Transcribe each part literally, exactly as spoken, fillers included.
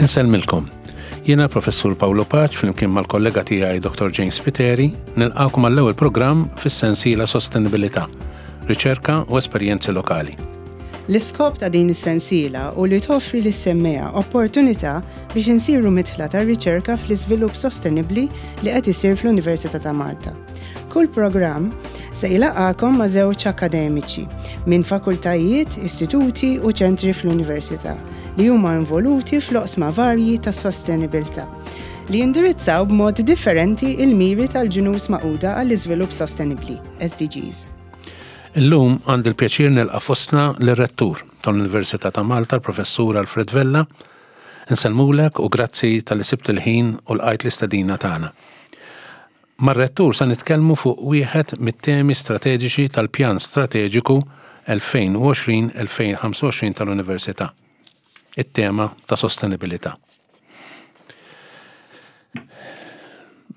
Insellmilkom. Jiena Professur Paolo Pace flimkien mal-kollega tiegħi Doctor James Spiteri nilqakom għall-ewwel programm fis-sensiela Sostenibilità, riċerka u esperjenzi lokali. L-iskop ta' din is-sensiela hu li toffri lis-semmiegħa opportunità biex insiru midħla tar-riċerka fl-iżvilupp sostenibbli li qed isir fl-Università ta' Malta. Kull programm se jlaqqagħkom ma' żewġ akademiċi minn fakultajiet, istituti u ċentri fl-Università li huma involuti fl-oqsma varji ta' sostenibilità li jindirizzaw b'mod differenti il-miri tal-Ġnus Magħquda għall-Iżvilupp Sostenibbli, S D Gs. Illum għandi l-pjaċir nilqa' fostna l-rettur tal-Università ta' Malta, l-Professur Alfred Vella. Insellmulek u grazzi talli sibt il-ħin u lqajt l-istedina tagħna. Mar-rettur sa nitkellmu fuq wieħed mit-temi strateġiċi tal-Pjan Strateġiku elfejn u għoxrin elfejn u ħamsa u għoxrin tal-Università. It-tema ta' sostenibilità.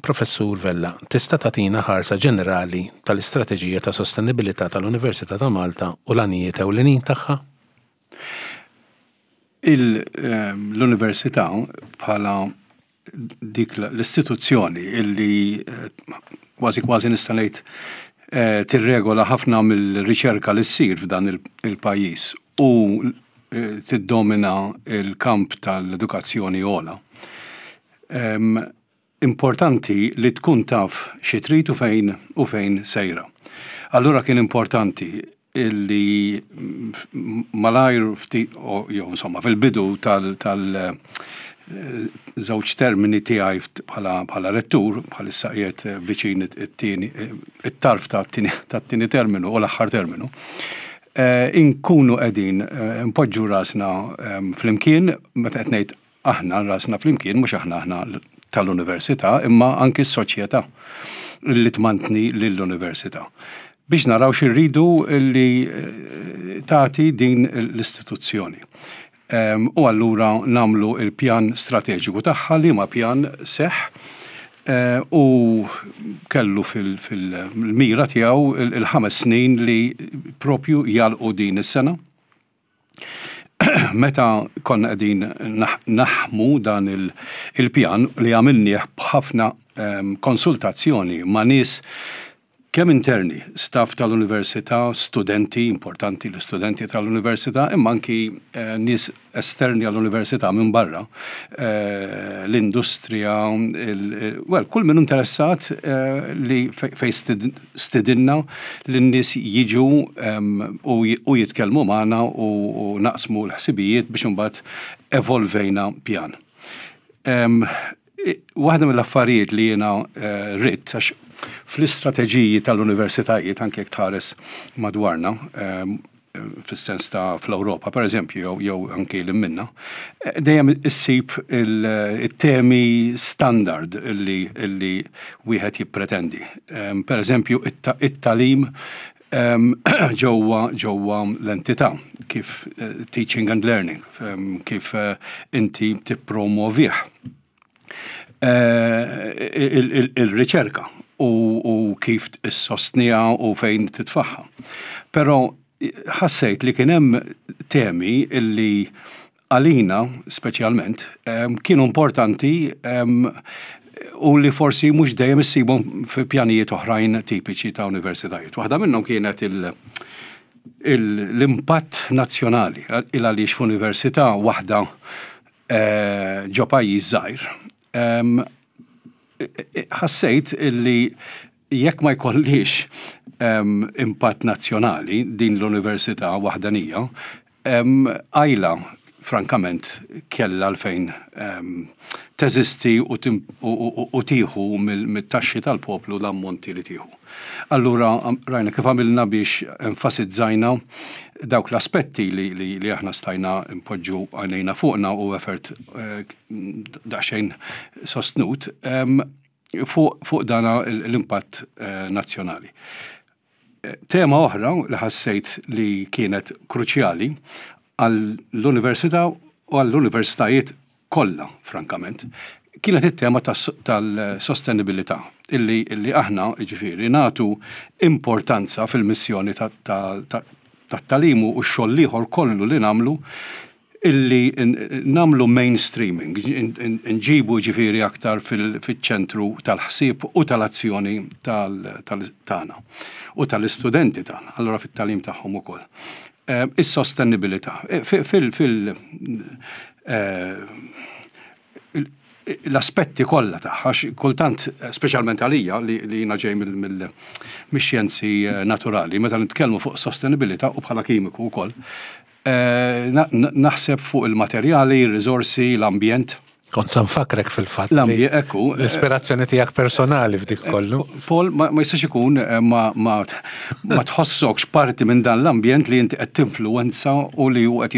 Professur Vella, tista' tagħtina ħarsa ġenerali tal-istrateġija ta' sostenibilità tal-Università ta' Malta u l-għanijiet ewlenin tagħha? Ehm, l-università bħala dik l-istituzzjoni illi eh, kważi kważi nista' ngħid eh, tirregola ħafna mill-riċerka li ssir f'dan il-pajjiż u eh, tiddomina il-kamp tal-edukazzjoni ogħla. Ehm, importanti li tkun taf xi trid u fejn u fejn sejra. Allura kien importanti illi malajr ftit, jew insomma fil-bidu tal, tal eh, żewġ termini tiegħi bħala bħala rettur, bħalissa qiegħed viċin it-tieni it-tarf tat-tieni terminu u l-aħħar terminu. Eh, inkunu qegħdin eh, npoġġu rasna flimkien, meta qed ngħid aħna rasna flimkien, mhux aħna aħna tal-università, imma anki s-soċjetà li tmantni lill-università, biex naraw x'irridu li eh, tagħti din l-istituzzjoni. U allura nagħmlu il-pjan strateġiku tagħha, li ma pjan seħ eh, u kellu fil-mira tiegħu il-ħames snin li propju jalqu din is-sena. Meta konna qegħdin naħmu dan il-pjan li għamilnieh b'ħafna konsultazzjoni ma' nies kemm interni, staff tal-università, studenti, importanti l-studenti tal-università, imma anki eh, nies esterni għall-università minn barra, eh, l-industrija, well, kull min interessat eh, li fej stidinna l-nies jiġu u jitkellmu magħna u naqsmu l-ħsibijiet biex imbagħad evolvejna pjan. Waħda mill-affarijiet li jiena ridt, għax fl-istrateġiji tal-universitajiet, anke jekk tħares madwarna, ehm, fis-sens ta' fl-Ewropa, per eżempju, jew anke l minna, eh, dejjem issib il-temi standard illi, illi wieħed jippretendi. Ehm, per eżempju, it-tagħlim ehm, ġewwa ġewwa l-entità, kif eh, teaching and learning, kif eh, inti tippromovih. Il-riċerka u kif issostniha u fejn titfaħħa. Però ħassejt li kien hemm temi illi għalina speċjalment kienu importanti u li forsi mhux dejjem issibhom fi pjanijiet oħrajn tipiċi ta' universitajiet. Waħda minnhom kienet l-impatt nazzjonali, il għaliex f'università waħda eh, ġo pajjiż żgħir ħassejt illi jekk ma jkollix impatt nazzjonali din l-università waħdanija, għajla frankament kella għalfejn teżisti u tieħu mit-taxxi tal-poplu l-ammonti li tieħu. Allura rajna kif għamilna biex enfasizzajna dawk l-aspetti li, li, li aħna stajna npoġġu għajnejna fuqna u effort eh, daqsxejn sostnut fuq fu dana l-impatt eh, nazzjonali. Tema oħra li ħassejt li kienet kruċjali għall-università u għall-universitajiet kollha, frankament, kienet it-tema tal-sostenibilità, illi, illi aħna, ġifieri, nagħtu importanza fil-missjoni tat-tagħlim u x-xogħol ieħor kollu li nagħmlu Illi nagħmlu mainstreaming, nġibu ġifieri aktar fil-ċentru tal-ħsieb u tal-azzjoni tagħna u tal-istudenti tagħna, allura fit-tagħlim tagħhom ukoll. Eh, is-sostenibilità. Eh, fil fil eh, l-aspetti kollha tagħha, kultant, speċjalment għalija li jiena ġej mill-xjenzi naturali, meta nitkellmu fuq sostenibilità u bħala kimiku wkoll, naħseb fuq il-materjali, il-riżorsi, l-ambjent. Kont sa nfakkrek fil-fatt. L-ambjent, ekku. L-ispirazzjoni tiegħek personali f'dik kollu. Paul, ma jistax ikun eh, ma, ma, ma tħossokx parti minn dan l-ambjent li inti qed tinfluwenza u li hu qed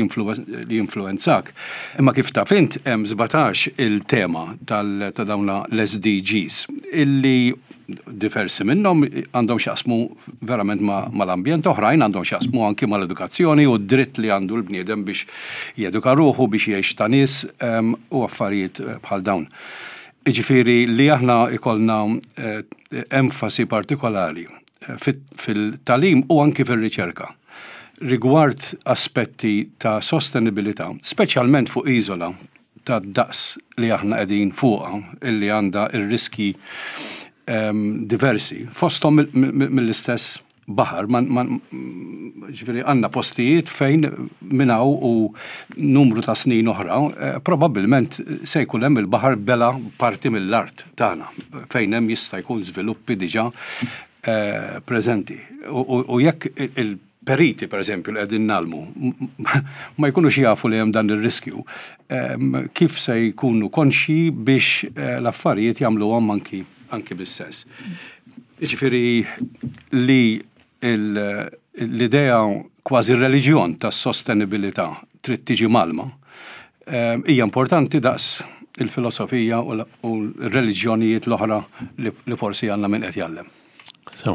jinfluwenzak. Imma kif taf int, hemm sbatax il-tema ta' dawn l-S D Gs illi diversi minnhom għandhom x'jaqsmu verament mal-ambjent, oħrajn għandhom x'jaqsmu anki mal-edukazzjoni u d-dritt li għandu l-bniedem biex jeduka ruħu, biex jgħix ta' nies u affarijiet eh, bħal dawn. Iġifieri li aħna ikollna eh, enfasi partikolari eh, fil-tagħlim u anki fil-riċerka rigward aspetti ta' sostenibilità, speċjalment fuq iżola ta' daqs li aħna qegħdin fuqha, illi għandha ir-riski diversi, fosthom mill-istess baħar, ġifieri għandna postijiet fejn minn hawn u numru ta' snin oħra, eh, probabbilment se jkun hemm il-baħar bela' parti mill-art tagħna, fejn hemm jista' jkun żviluppi diġà eh, preżenti. U jekk il-periti, per eżempju, li qegħdin ngħallmu, ma jkunux jafu li hemm dan ir-riskju, kif se jkunu konxi biex eh, l-affarijiet jagħmluhom anki anki bis-sens? Ġifieri li l-idea, kważi reliġjon ta' sostenibilità, trid tiġi mgħallma, eh, hija importanti daqs il-filosofija u l-reliġjonijiet l-oħra li forsi għandna minn qed jgħallem. So.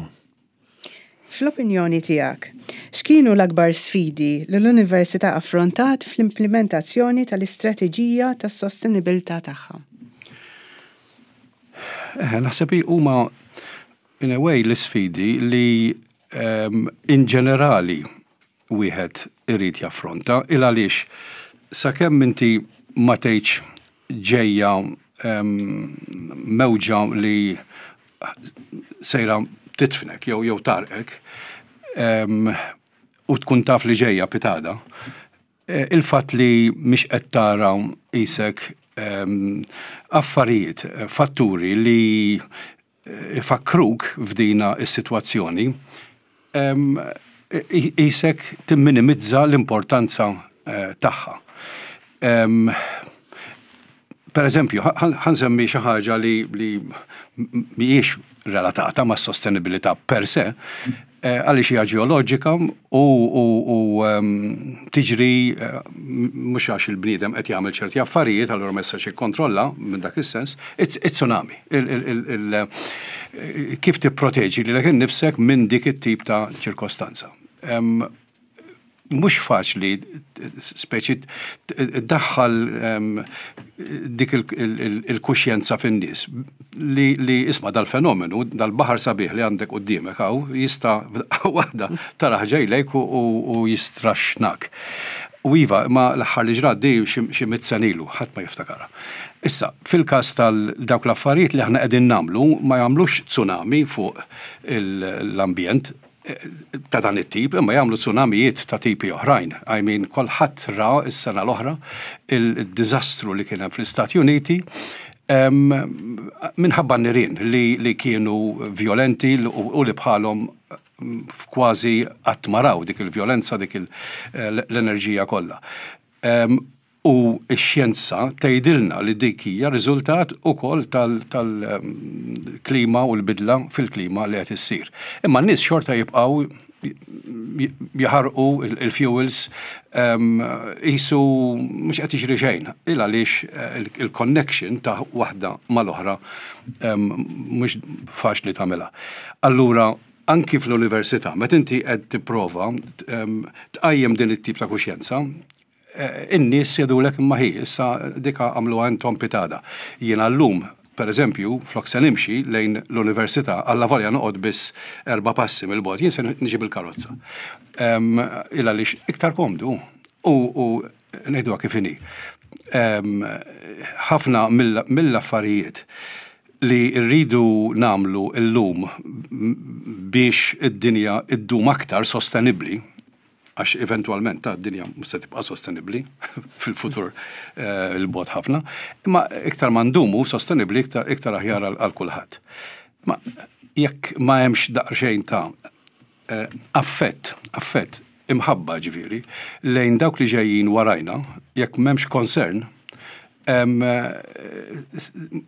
Fl-opinjoni tiegħek, x'kienu l-akbar sfidi li l-Università affrontat fl-implementazzjoni tal-istrateġija tas-sostenibilità tagħha? Eh, naħseb huma in a way l-sfidi li um, in ġenerali wieħed irid jaffronta, il għaliex sakemm inti ma tgħidx ġejja um, mewġa li sejra titfnek jew jew tgħarrqek um, u tkun taf li ġejja pitgħada, eh, il-fatt li mhix qed tara isek um, affarijiet, fatturi li eh, ifakruk f'dina is-sitwazzjoni, um, isek timminimizza l-importanza uh, tagħha. Um, per eżempju, ħa nsemmi xi ħaġa li, li mhijiex relatata ma' sostenibilità per se, eh, għaliex hija ġeoloġika u, u, u um, tiġri uh, mhux għax il-bniedem qed jagħmel ċerti affarijiet, allura ma jistax jikkontrolla minn dak is-sens, it-tsunami. Kif tipproteġi lilek innifsek minn dik it-tip ta' ċirkostanza? Um, mhux faċli speċi daħħal dik il-kuxjenza fin-nies li, li isma' dal-fenomenu, dal-baħar sabiħ li għandek quddiemek hawn jista' waħda tarah ġej lejk u jistraxxnak. U iva, ma l-aħħar li ġrat di xi mitt sena ilu, ħadd ma jiftakarha. Issa, fil-każ tal-dawk l-affarijiet li aħna qegħdin nagħmlu ma jagħmlux tsunami fuq l-ambjent ta' dan it-tip, imma jagħmlu tsunamijiet ta' tipi oħrajn. I mean, kulħadd ra s-sena l-oħra il-diżastru li kien hemm fl-Istati Uniti minħabba nirien li, li kienu violenti u li bħalhom kważi qatt ma raw dik il-vjolenza, dik l-enerġija kollha. U x-xjenza tgħidilna li dik hija riżultat ukoll tal-klima u l-bidla fil-klima li qed issir. Imma n-nies xorta jibqgħu jaħarqu il-fuels qisu mhux qed jiġri xejn. Il għaliex il-connection ta' waħda mal-oħra mhux faċli tagħmilha. Allura anki fl-università, meta inti qed tipprova tqajjem din it-tip ta' kuxjenza, eh, in-nies jgħidulek, "Imma ħi, issa dika għamlu għandhom pitgħada." Jiena llum, per eżempju, flok se nimxi lejn l-università, allavolja noqgħod biss erba' passi mill-bogħod, jien se niġi bil-karozza. Il għaliex iktar komdu. U Ngħiduha kif inhi. Ħafna mill-affarijiet li rridu nagħmlu illum biex id-dinja iddum aktar sostenibbli, għax eventwalment ta' dinja mhux se tibqa' sostenibbli fil-futur eh, 'il bogħod ħafna, imma iktar ma ndumu sostenibbli, iktar iktar aħjar għal kulħadd. Ma jekk ma hemmx daqsxejn ta' eh, affett, affett, imħabba ġifieri, lejn dawk li ġejjin warajna, jekk m'hemmx concern,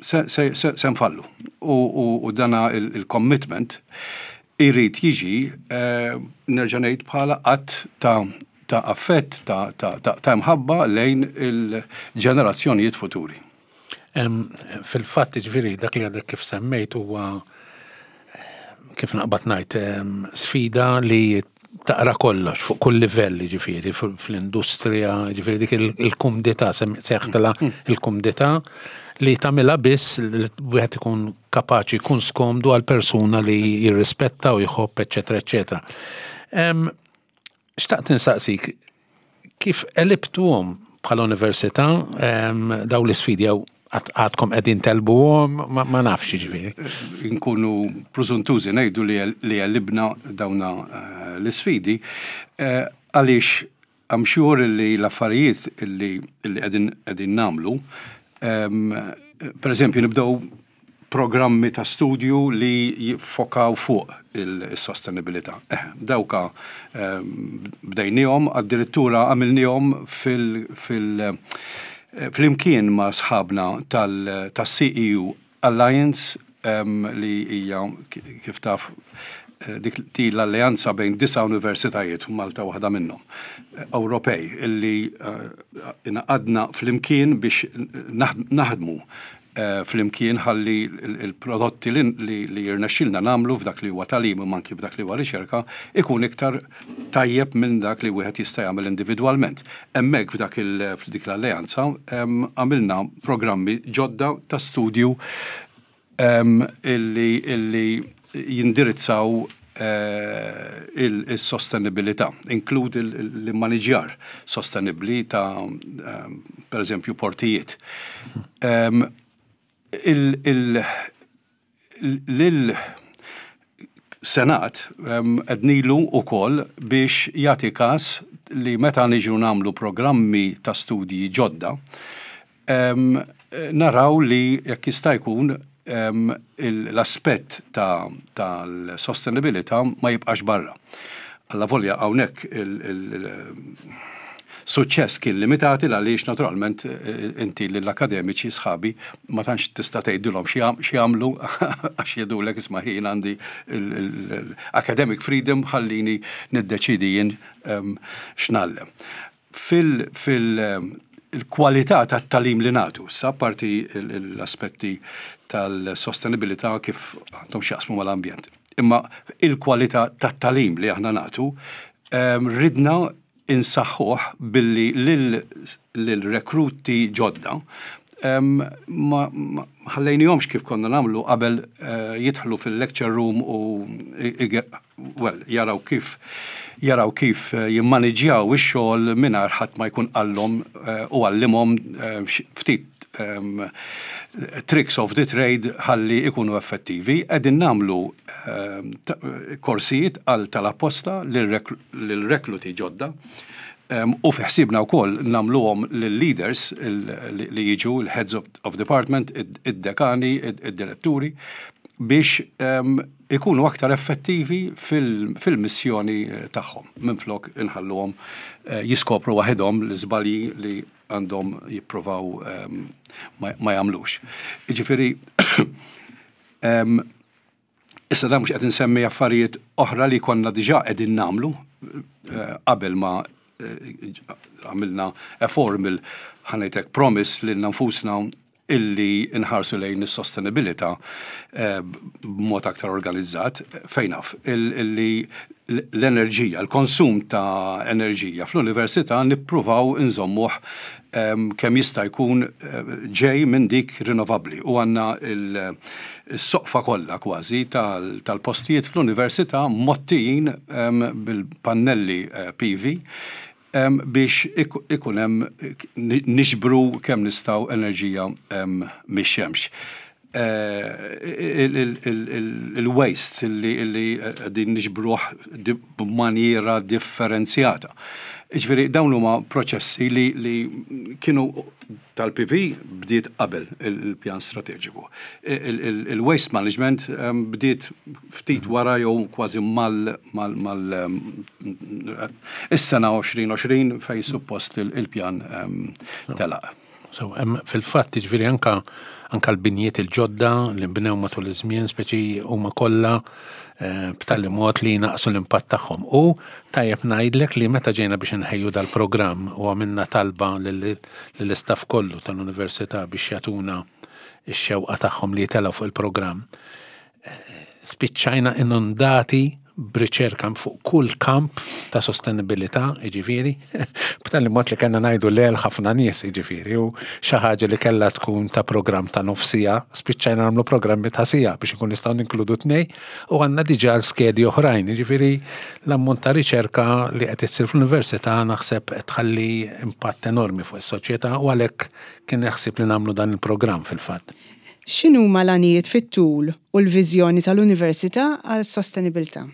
se nfallu. U dana il-commitment irid jiġi, eh, nerġa' ngħid, bħala att ta' ta' affett, ta' ta' mħabba lejn il-ġenerazzjonijiet futuri. Fil-fatt, ġifieri, dak li għadek kif semmejt huwa, kif naqbad ngħid, sfida li taqra kollox fuq kull livell, ġifieri fl-industrija, ġifieri dik il-kumdità, sejjaħtilha mm. il-kumdità li tagħmilha biss li wieħed ikun kapaċi jkun skomdu għal persuna li jirrispetta u jħobb, eċetera, eċetera. Xtaqt insaqsik, kif għelibtuhom bħala università daw l-isfidi jew għadkom qegħdin tegħlbuhom, ma nafx ġifieri. Nkunu preżuntużi ngħidu li għelibna dawna eh, l-isfidi eh, għaliex I'm sure li l-affarijiet li qegħdin qegħdin nagħmlu, per eżempju, nibdew programmi ta' studju li jiffokaw fuq il-sostenibilità. Eh, dawka bdejnihom, addirittura għamilnihom fil-, fil flimkien ma' sħabna tal-C E U Alliance, li hija, kif taf, eh, dik l-alleanza bejn disa' universitajiet, Malta waħda minnhom, eh, Ewropej, illi eh, ingħaqadna flimkien biex naħdmu flimkien ħalli il-prodotti li jirnexxilna nagħmlu f'dak li huwa tagħlim u anki f'dak li huwa riċerka ikun iktar tajjeb minn dak li wieħed jista' jagħmel individwalment. Hemmhekk f'dak dik l-alleanza għamilna programmi ġodda ta' studju illi illi jindirizzaw eh, il-sostenibilità, inkludi l-immaniġjar sostenibli ta' per eżempju portijiet. Il- Lil-Senat għednilu ukoll biex jagħti kas li meta niġu nagħmlu programmi ta' studji ġodda, naraw li jekk jista' jkun l-aspett tal-sostenibilità ma jibqax barra. Alla volja hawnhekk il-suċċess kien limitati għaliex naturalment eh, inti l-akademiċi sħabi ma tantx tista' tgħidilhom x'jagħmlu għax jgħidulek, "Isma' ħin, għandi l-academic freedom, ħallini niddeċidi jien x'ngħallem." Fil, fil il-kwalità tat-tagħlim li nagħtu, sa parti l-aspetti tal-sostenibilità kif għandhom x'jaqsmu mal-ambjent. Imma il-kwalità tat-tagħlim li aħna nagħtu ridna insaħħuh billi lil-rekruti ġodda ma ħallejnihomx, kif konna nagħmlu qabel, eh, jidħlu fil-lecture room u, well, jaraw kif jaraw kif eh, jimmaniġjaw ix-xogħol mingħajr ħadd ma jkun qallhom eh, u għallimhom ftit um, tricks of the trade ħalli ikunu effettivi. Qegħdin nagħmlu um, korsijiet għal tal-apposta lil-rekluti ġodda. Um, u fi ħsibna wkoll nagħmluhom lill-leaders li jiġu, il-heads of, of department, id-dekani, id-diretturi, biex um, ikunu aktar effettivi fil-missjoni tagħhom. Minflok inħalluhom uh, jiskopru waħedhom l-iżbalji li għandhom jipprovaw um, ma, ma jagħmlux. Jiġifieri, um, issa da mhux qed insemmi affarijiet oħra li konna diġà qegħdin nagħmlu uh, qabel ma eh, għamilna a formal, ħa ngħidlek, promise lil nfusna illi nħarsu lejn is-sostenibilità eh, b'mod aktar organizzat, fejn naf illi l-enerġija, l-konsum ta' enerġija fl-università nippruvaw inżommuh kemm jista' jkun eh, ġej minn dik rinnovabbli u għandna il-soqfa kollha kważi tal-postijiet fl-università mgħottijin bil-pannelli eh, P V. biex ikun hemm niġbru kemm nistgħu enerġija mix-xemx. Il-waste li din niġbruh b'manjera differenzjata. Ġifieri dawn huma proċessi li, li kienu tal-P V bdiet qabel il-pjan strateġiku. Il-waste management bdiet ftit wara jew kważi mal, mal, mal is-sena elfejn u għoxrin fej suppost il-pjan telaq. So, fil-fatt, ġifieri anka anka l-binjiet il-ġodda li nbnew matul iż-żmien, speċi huma kollha eh, b'tali mod li naqsu l-impatt tagħhom. U tajjeb ngħidlek li meta ġejna biex nħejju dal-programm u għamilna talba lill-istaff kollu tal-università biex jagħtuna x-xewqa tagħhom li jitelgħu fuq il-programm, eh, spiċċajna inundati b'riċerka fuq kull kamp ta' sostenibilità, jiġifieri, b'tali mod li kellna ngħidu le lil ħafna nies, jiġifieri, u xi ħaġa li kellha tkun ta' programm ta' nofsija, spiċċajna nagħmlu programmi ta' siegħa biex ikun nistgħu ninkludu tnej, u għandna diġà l-skedi oħrajn, jiġifieri l-ammont ta' riċerka li qed issir fl-università naħseb qed tħalli impatt enormi fuq is-soċjetà u għalhekk kien jaħsib li nagħmlu dan il-programm fil-fatt. X'inhuma l-għanijiet fit-tul u l-viżjoni tal-Università għas-sostenibilità?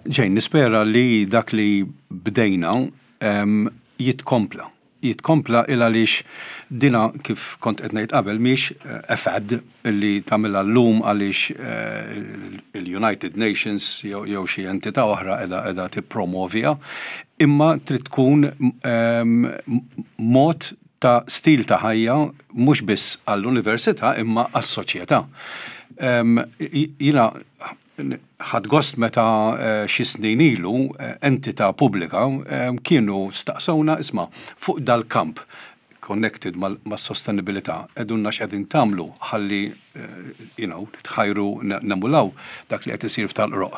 Ġejn, nispera li dak li bdejna um, jitkompla. Jitkompla il għaliex dina, kif kont qed ngħid qabel, mhix a fad li tagħmilha llum għaliex eh, il-United Nations jew xi entità oħra qiegħda qiegħda tippromovija, imma trid tkun um, mod ta' stil ta' ħajja mhux biss għall-università imma għas-soċjetà. Um, Jiena ħadt gost meta eh, xi snin ilu eh, entità pubblika eh, kienu staqsawna, "Isma', fuq dal-kamp connected mas-sostenibilità, għidulna x'qegħdin tagħmlu ħalli you know, tħajru nemulaw dak li qed isir f'Tal-Qroqq."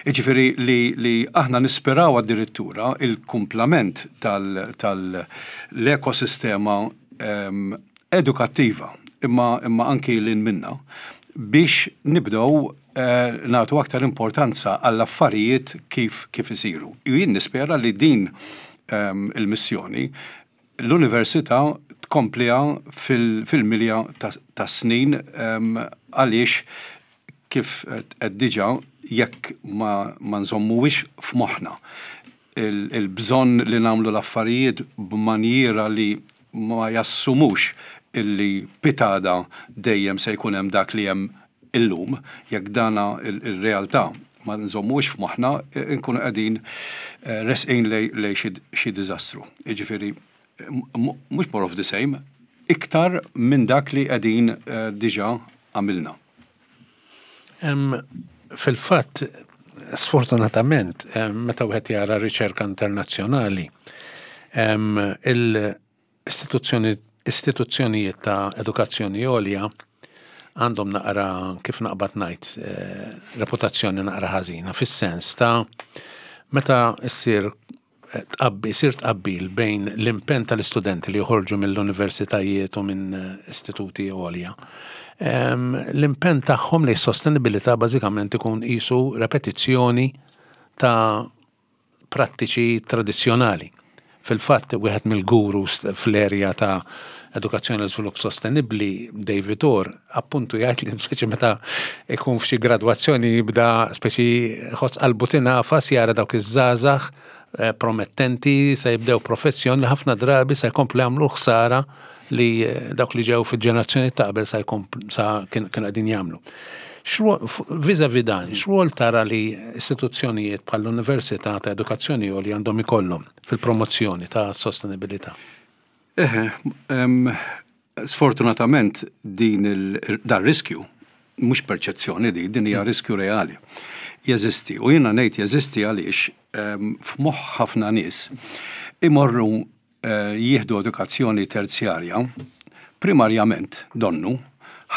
Jiġifieri li, li aħna nisperaw addirittura il-kumplament tal-ekosistema um, edukattiva imma, imma anki lil hinn minna biex nibdew eh, nagħtu aktar importanza għall-affarijiet kif kif isiru. Jien nispera li din um, il-missjoni l-università tkompliha fil-milja ta' snin um, għaliex kif qed diġà, jekk ma, ma nżommuwix f'moħħna il-bżonn li nagħmlu l-affarijiet b'manjiera li ma jassumux illi pitgħada dejjem se jkun hemm dak li hemm illum, jekk dana il-realtà ma nżommux f'moħħna, nkunu qegħdin eh, resqin lej xi diżastru. Jiġifieri mhux more of the same, iktar minn dak li qegħdin eh, diġà għamilna. Fil-fatt, sfortunatament, meta wieħed jara riċerka internazzjonali, il-istituzzjoni istituzzjonijiet ta' edukazzjoni għolja għandhom naqra, kif naqbad ngħid, eh, reputazzjoni naqra ħażina, fis-sens ta' meta issir eh, tqabbi, isir tqabbil bejn l-impenn tal-istudenti li joħorġu mill-universitajiet u minn eh, istituti għolja. L-impenn tagħhom li sostenibilità bażikament ikun qisu repetizzjoni ta' prattiċi tradizzjonali. Fil-fatt, wieħed mill-gurus fl-erja ta' edukazzjoni u żvilupp sostenibbli, David Orr, appuntu jgħid li speċi meta ikun f'xi gradwazzjoni jibda speċi ħoss qalbu tingħafas jara dawk iż-żgħażagħ eh, promettenti se jibdew professjoni li ħafna drabi se jkomplu jagħmlu ħsara li eh, dawk li ġew fil-ġenerazzjoni ta' qabel sa sa kienu qegħdin jagħmlu. Vis-à-vis dan, x'rwol tara li istituzzjonijiet bħall-Università ta' Edukazzjoni li għandhom ikollhom fil-promozzjoni ta' sostenibilità? Eħe, sfortunatament din dar riskju, mhux perċezzjoni di, din hija riskju reali. Jeżisti, u jiena ngħid jeżisti għaliex f'moħħ ħafna nies imorru eh, jieħdu edukazzjoni terzjarja primarjament donnu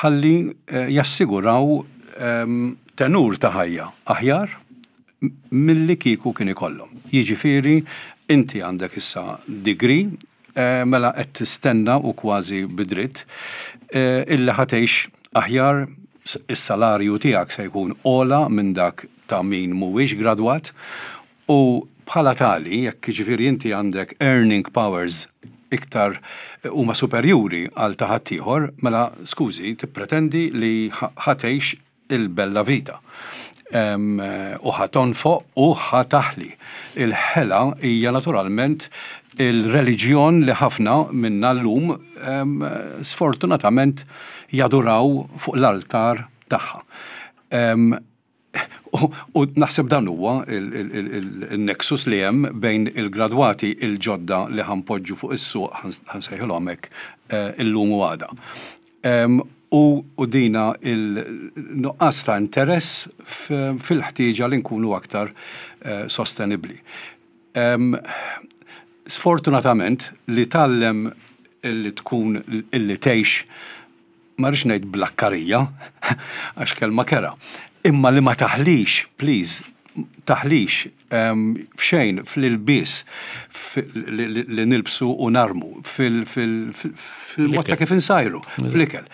ħalli eh, jassiguraw tenur ta' ħajja aħjar milli kieku kien ikollhom. Jiġifieri inti għandek issa degree, eh, mela qed tistenna u kważi bidritt eh, illi ħa tgħix aħjar, is-salarju tiegħek se jkun ogħla minn dak ta' min mhuwiex gradwat u bħala Bħala tali, jekk ġifieri inti għandek earning powers iktar huma superjuri għal ta' ħaddieħor, mela skużi, tippretendi li ħa tgħix il-bella vita. U ħa tonfoq u ħa taħli. Il-ħela hija naturalment il-reliġjon li ħafna minna llum sfortunatament jaduraw fuq l-altar tagħha. U naħseb dan huwa il-nexus li hemm bejn il-gradwati il-ġodda li ħa npoġġu fuq is-suq, ħa nsejħilhom hekk, illum u għada. U dina il-nuqqas ta' interess fil-ħtieġa li nkunu aktar sostenibli. Sfortunatament li tgħallem illi tkun illi tgħix, ma rridx ngħid blakkarija, għax kelma kerha, imma li ma taħlix, please, taħlix f'xejn, fl-ilbies li nilbsu u narmu, fil-mod ta' kif insajru, fl-ikel,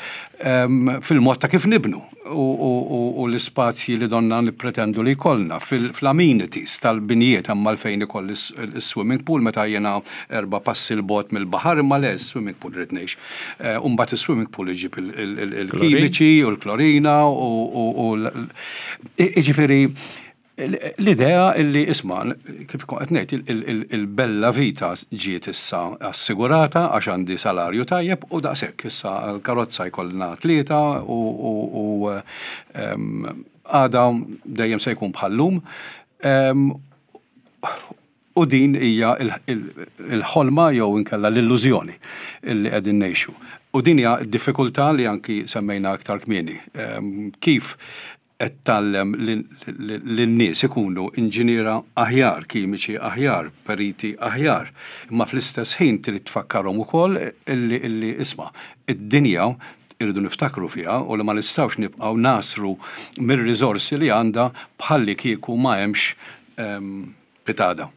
fil-mod ta' kif nibnu u l-ispazji li donna nippretendu li jkollna, fl-amenities tal-binjiet, imma fejn ikolli s-swimming pool meta jiena erba' passi 'l bogħod mill-baħar, imma le, swimming pool rrid ngħix. U mbagħad is-swimming pool iġib il-kimiċi u l-klorina u ġifieri l-idea illi isma', kif qed ngħid, il-bella vita ġiet issa assigurata għax għandi salarju tajjeb u daqshekk, issa l-karozza jkollna tlieta u għada dejjem se jkun bħallum. U din hija il-ħolma jew inkella l-illużjoni illi qegħdin ngħixu. U din hija d-diffikultà li anki semmejna aktar kmieni. Kif qed tgħallem lin-nies ikunu inġiniera aħjar, kimiċi aħjar, periti aħjar, imma fl-istess ħin trid tfakkarhom ukoll illi illi isma', id-dinja irridu niftakru fiha u li ma nistgħux nibqgħu nagħsru mir-riżorsi li għandha bħalli kieku ma hemmx pitgħada.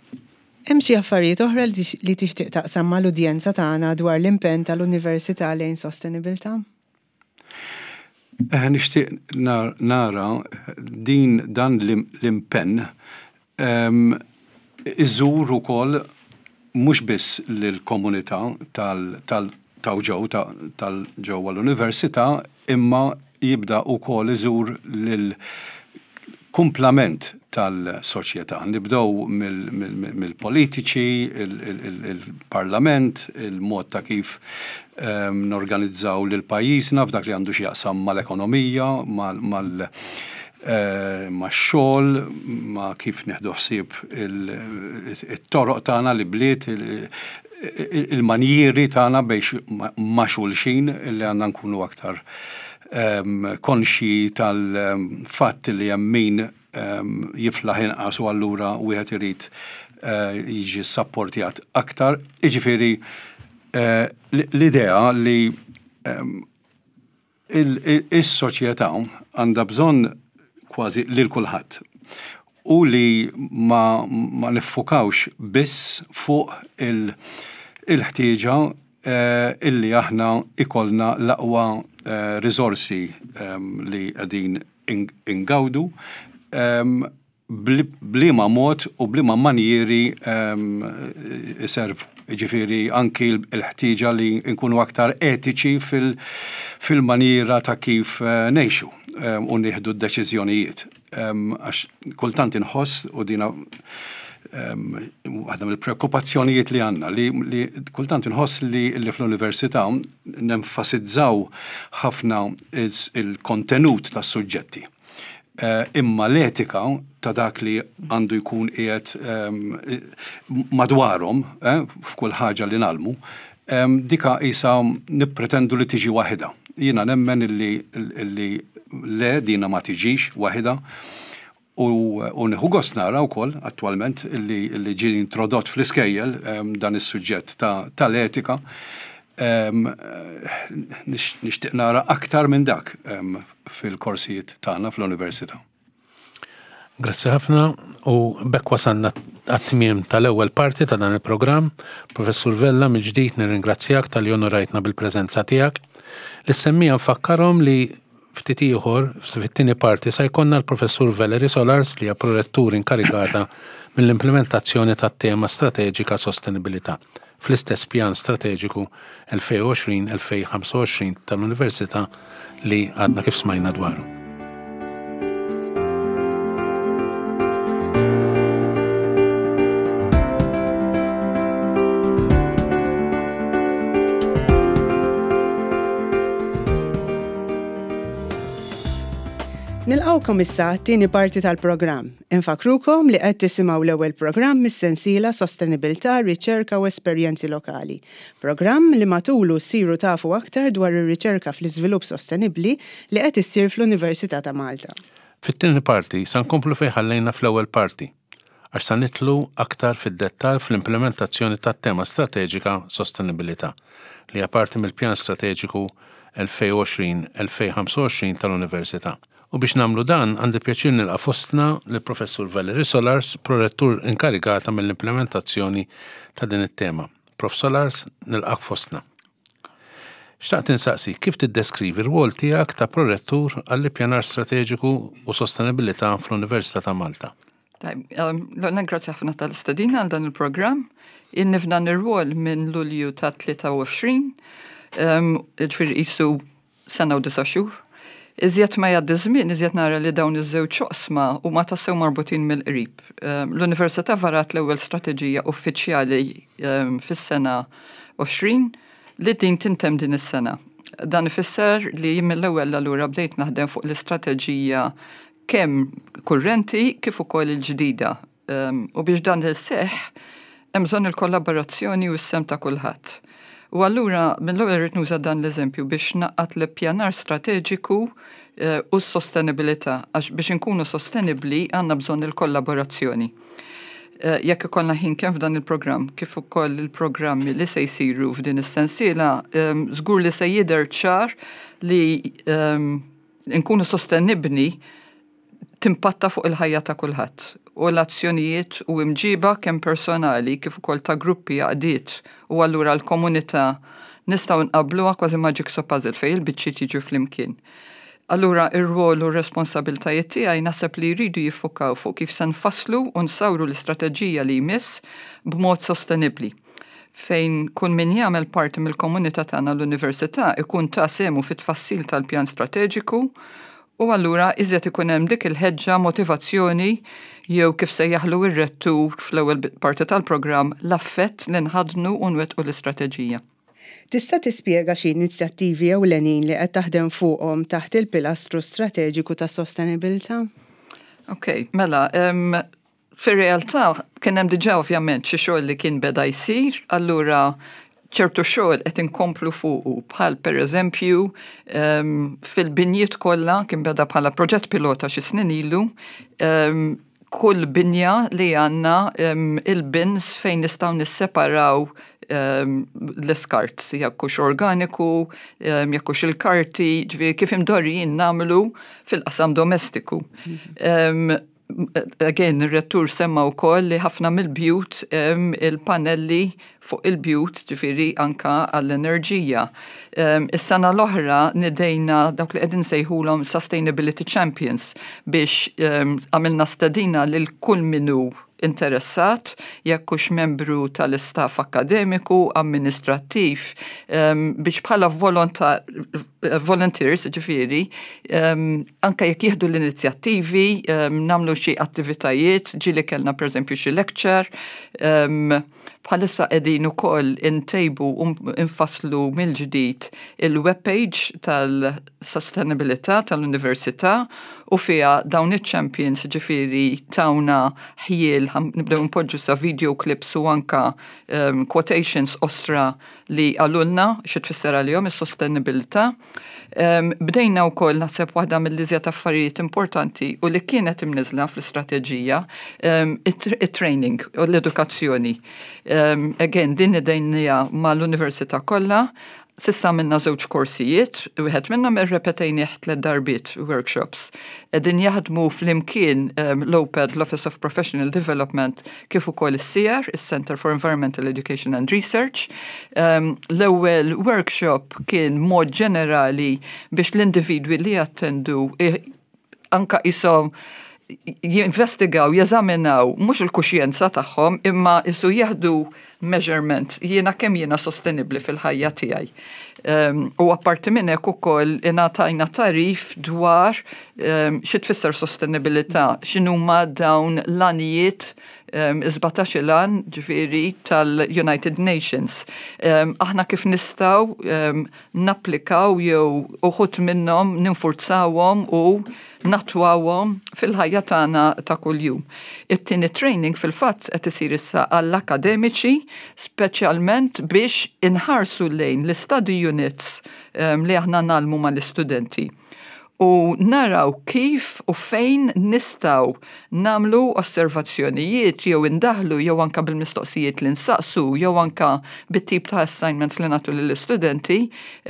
Hemm xi affarijiet oħra li tixtieq taqsam mal-udjenza tagħna dwar l-impenn tal-Università lejn sostenibilità? Eh, nixtieq nara din dan l-impenn iżur ukoll mhux biss lill-komunità tal ġew tal-ġewwa l-università, imma jibda wkoll iżur lil kumplament tal-soċjetà. Nibdew mill-politiċi, il-parlament, il-mod ta' kif norganizzaw lil pajjiżna f'dak li għandu x'jaqsam mal-ekonomija, mal max-xogħol, ma' kif nieħdu ħsieb it-toroq tagħna, l-ibliet, il-manjieri tagħna bejn ma' xulxin, li għandna nkunu aktar konxji tal-fatt li hemm min jiflaħ inqas u allura wieħed irid jiġi sapportjat aktar. Jiġifieri l-idea li is-soċjetà għandha bżonn kważi lil kulħadd u li ma, ma niffukawx biss fuq il-ħtieġa illi aħna ikollna l-aqwa riżorsi li qegħdin ingawdu, b'liema mod u b'liema manjieri iservu. Ġifieri anki l-ħtieġa li nkunu aktar etiċi fil-maniera ta' kif ngħixu u nieħdu d-deċiżjonijiet. Għax kultant inħoss, u dina waħda mill-preokkupazzjonijiet li għandna, li kultant inħoss li fl-università nenfasizzaw ħafna il-kontenut tas-suġġetti. Imma l-etika ta' dak li għandu jkun qiegħed madwarhom f'kull ħaġa li ngħallmu, dika qisha nippretendu li tiġi waħedha. Jiena nemmen illi le, dina ma tiġix waħedha. U nieħu gost nara wkoll attwalment illi ġie introdott fl-iskejjel dan is-suġġett tal-etika. Nixtieq nara aktar minn dak fil-korsijiet tagħna fl-università. Grazzi ħafna, u b'hekk wasalna għat-tmiem tal-ewwel parti ta' dan il-programm. Professur Vella, mill-ġdid nirringrazzjak talli onorajtna bil-preżenza tiegħek. Lis-semmiegħa nfakkarhom li ftit ieħor fit-tieni parti sa jkollna l-Professur Valerie Solars, li hija prorettur inkarigata Mill-implementazzjoni tat-tema strateġika sostenibilità fl-istess pjan strateġiku elfejn u għoxrin-elfejn u ħamsa u għoxrin tal-Università li għadna kif smajna dwaru. Nilqgħukom issa għat-tieni parti tal-programm. Infakkrukom li qed tisimgħu l-ewwel programm mis-sensiela Sostenibilità, Riċerka u Esperjenzi Lokali. Programm li matulu ssiru tafu aktar dwar ir-riċerka fl-iżvilupp sostenibbli li qed issir fl-Università ta' Malta. Fit-tieni parti sa nkomplu fejn ħallejna fl-ewwel parti, għax sa nidħlu aktar fid-dettal fl-implementazzjoni tat-tema strateġika sostenibilità li hija parti mill-pjan strateġiku elfejn u għoxrin-elfejn u ħamsa u għoxrin tal-Università. U biex nagħmlu dan, għandi pjaċir nilqa' fostna l-Professur Valerie Solars, prorettur inkarigata mill-implementazzjoni ta' din it-tema. Prof Solars, nilqak fostna. Xtaqt insaqsi, kif tiddeskrivi r-rwol tiegħek ta' prorettur għall-ippjanar strateġiku u sostenibilità fl-Università ta' Malta? Tajb, l grazzi ħafna tal-istedina għal dan il-programm. Ilni f'dan ir-rwol minn Lulju ta' tlieta u għoxrin, ġifieri qisu sena u disa' xhur. Iżjed ma jgħaddi żmien, iżjed nara li dawn iż-żewġ oqsma huma tassew marbutin mill-qrib. L-Università varat l-ewwel strateġija uffiċjali fis-sena għoxrin li din tintemm din is-sena. Dan ifisser li mill-ewwel allura bdejt naħdem fuq l-istrateġija kemm kurrenti kif ukoll il-ġdida. U biex dan iseħħ hemm bżonn il-kollaborazzjoni u s-sehem ta' kulħadd. U allura mill-ewwel rrid nuża dan l-eżempju biex ngħaqqad l-ippjanar strateġiku eh, u s-sostenibilità, għax biex inkunu sostenibbli għandna bżonn il-kollaborazzjoni. Eh, jekk ikollna ħin kemm f'dan il-programm kif ukoll il-programmi li se jsiru f'din is-sensiela, żgur li se jidher ċar li nkunu sostenibbli timpatta fuq il-ħajja ta' kulħadd u l-azzjonijiet u imġiba kemm personali kif ukoll ta' gruppi, għaqdiet u allura l-komunità nistgħu nqabluha kważi ma' jigsaw puzzle fejn il-biċċiet jiġu flimkien. Allura ir-rwol u r-responsabiltajiet tiegħi naħseb li jridu jiffukaw fuq kif se nfasslu u nsawru l-istrateġija li jmiss b'mod sostenibbli fejn kull min jagħmel parti mill-komunità tagħna l-università ikun ta sehmu fit-tfassil tal-pjan strateġiku u allura iżjed ikun hemm dik il-ħeġġa, motivazzjoni jew kif sejjaħlu ir-rettur fl-ewwel parti tal-programm, l-affett li nħadnu u nwettqu l-istrateġija. Tista' tispjega xi inizjattivi ewlenin li qed taħdem fuqhom taħt il-pilastru strateġiku ta' sostenibilità? Ok, mela, um, fir-realtà kien hemm diġà ovvjament xi xogħol li kien beda jsir, allura ċertu xogħol qed inkomplu fuqu, bħal pereżempju um, fil-binjiet kollha kien beda bħala proġett pilota xi snin ilu, um, kull binja li għandna um, il-bins fejn nistgħu nisseparaw um, l-iskart, jekk hux organiku, um, jekk hux il-karti, ġifieri kif imdorrijin nagħmlu fil-qasam domestiku. Um, again, il-rettur semma wkoll li ħafna mill-bjut il-panelli fuq il-bjut, ġifieri anka għall-enerġija. Is-sena l-oħra nidejna dawk li qegħdin sejħulhom Sustainability Champions biex għamilna stedina lil kull min hu interessat, jekk hux membru tal-istaff akademiku, amministrattiv, biex bħala volunteers, ġifieri, anka jekk jieħdu l-inizjattivi, nagħmlu xi attivitajiet, ġieli kellna per eżempju xi lecture, bħalissa qegħdin ukoll intejbu u nfasslu mill-ġdid il-webpage tal-sustainabilità tal-università u fiha dawn il-champions, ġifieri tawna ħjiel nibdew npoġġu sa video clips u anka um, quotations qosra li qalulna xi tfisser għalihom is-sostenibilità. Um, bdejna wkoll, naħseb waħda mill-iżjed affarijiet importanti u li kienet imniżla fl-istrateġija, um, it-training u l-edukazzjoni. Um, again, din idejnija mal-università kollha. S'issa għamilna żewġ korsijiet, wieħed minnhom irrepetejnieh tliet darbiet, workshops. Qegħdin jaħdmu flimkien um, l-OPED, l-Office of Professional Development, kif ukoll is-CEER, is-Center for Environmental Education and Research. Um, l-ewwel workshop kien mod ġenerali biex l-individwi li jattendu anka jisom Jinvestigaw, jeżaminaw mhux il-kuxjenza tagħhom, imma isu jieħdu measurement jiena kemm jiena sostenibbli fil-ħajja tiegħi. Um, u apparti minn hekk ukoll ingħatajna tagħrif dwar um, xi tfisser sostenibilità, x'inhuma dawn l-għanijiet, um, sbatax-il għan, ġifieri, tal-United Nations. Um, aħna kif nistgħu um, napplikaw jew uħud minnhom ninfurzawhom u nattwawhom fil-ħajja tagħna ta' kuljum. It-tieni training fil-fatt qed isir issa għall-akademiċi, speċjalment biex inħarsu lejn l-study units um, li aħna ngħallmu mal-istudenti u naraw kif u fejn nistgħu nagħmlu osservazzjonijiet jew indaħlu jew anka bil-mistoqsijiet li nsaqsu jew anka bit-tip ta' assignments li nagħtu lill-istudenti,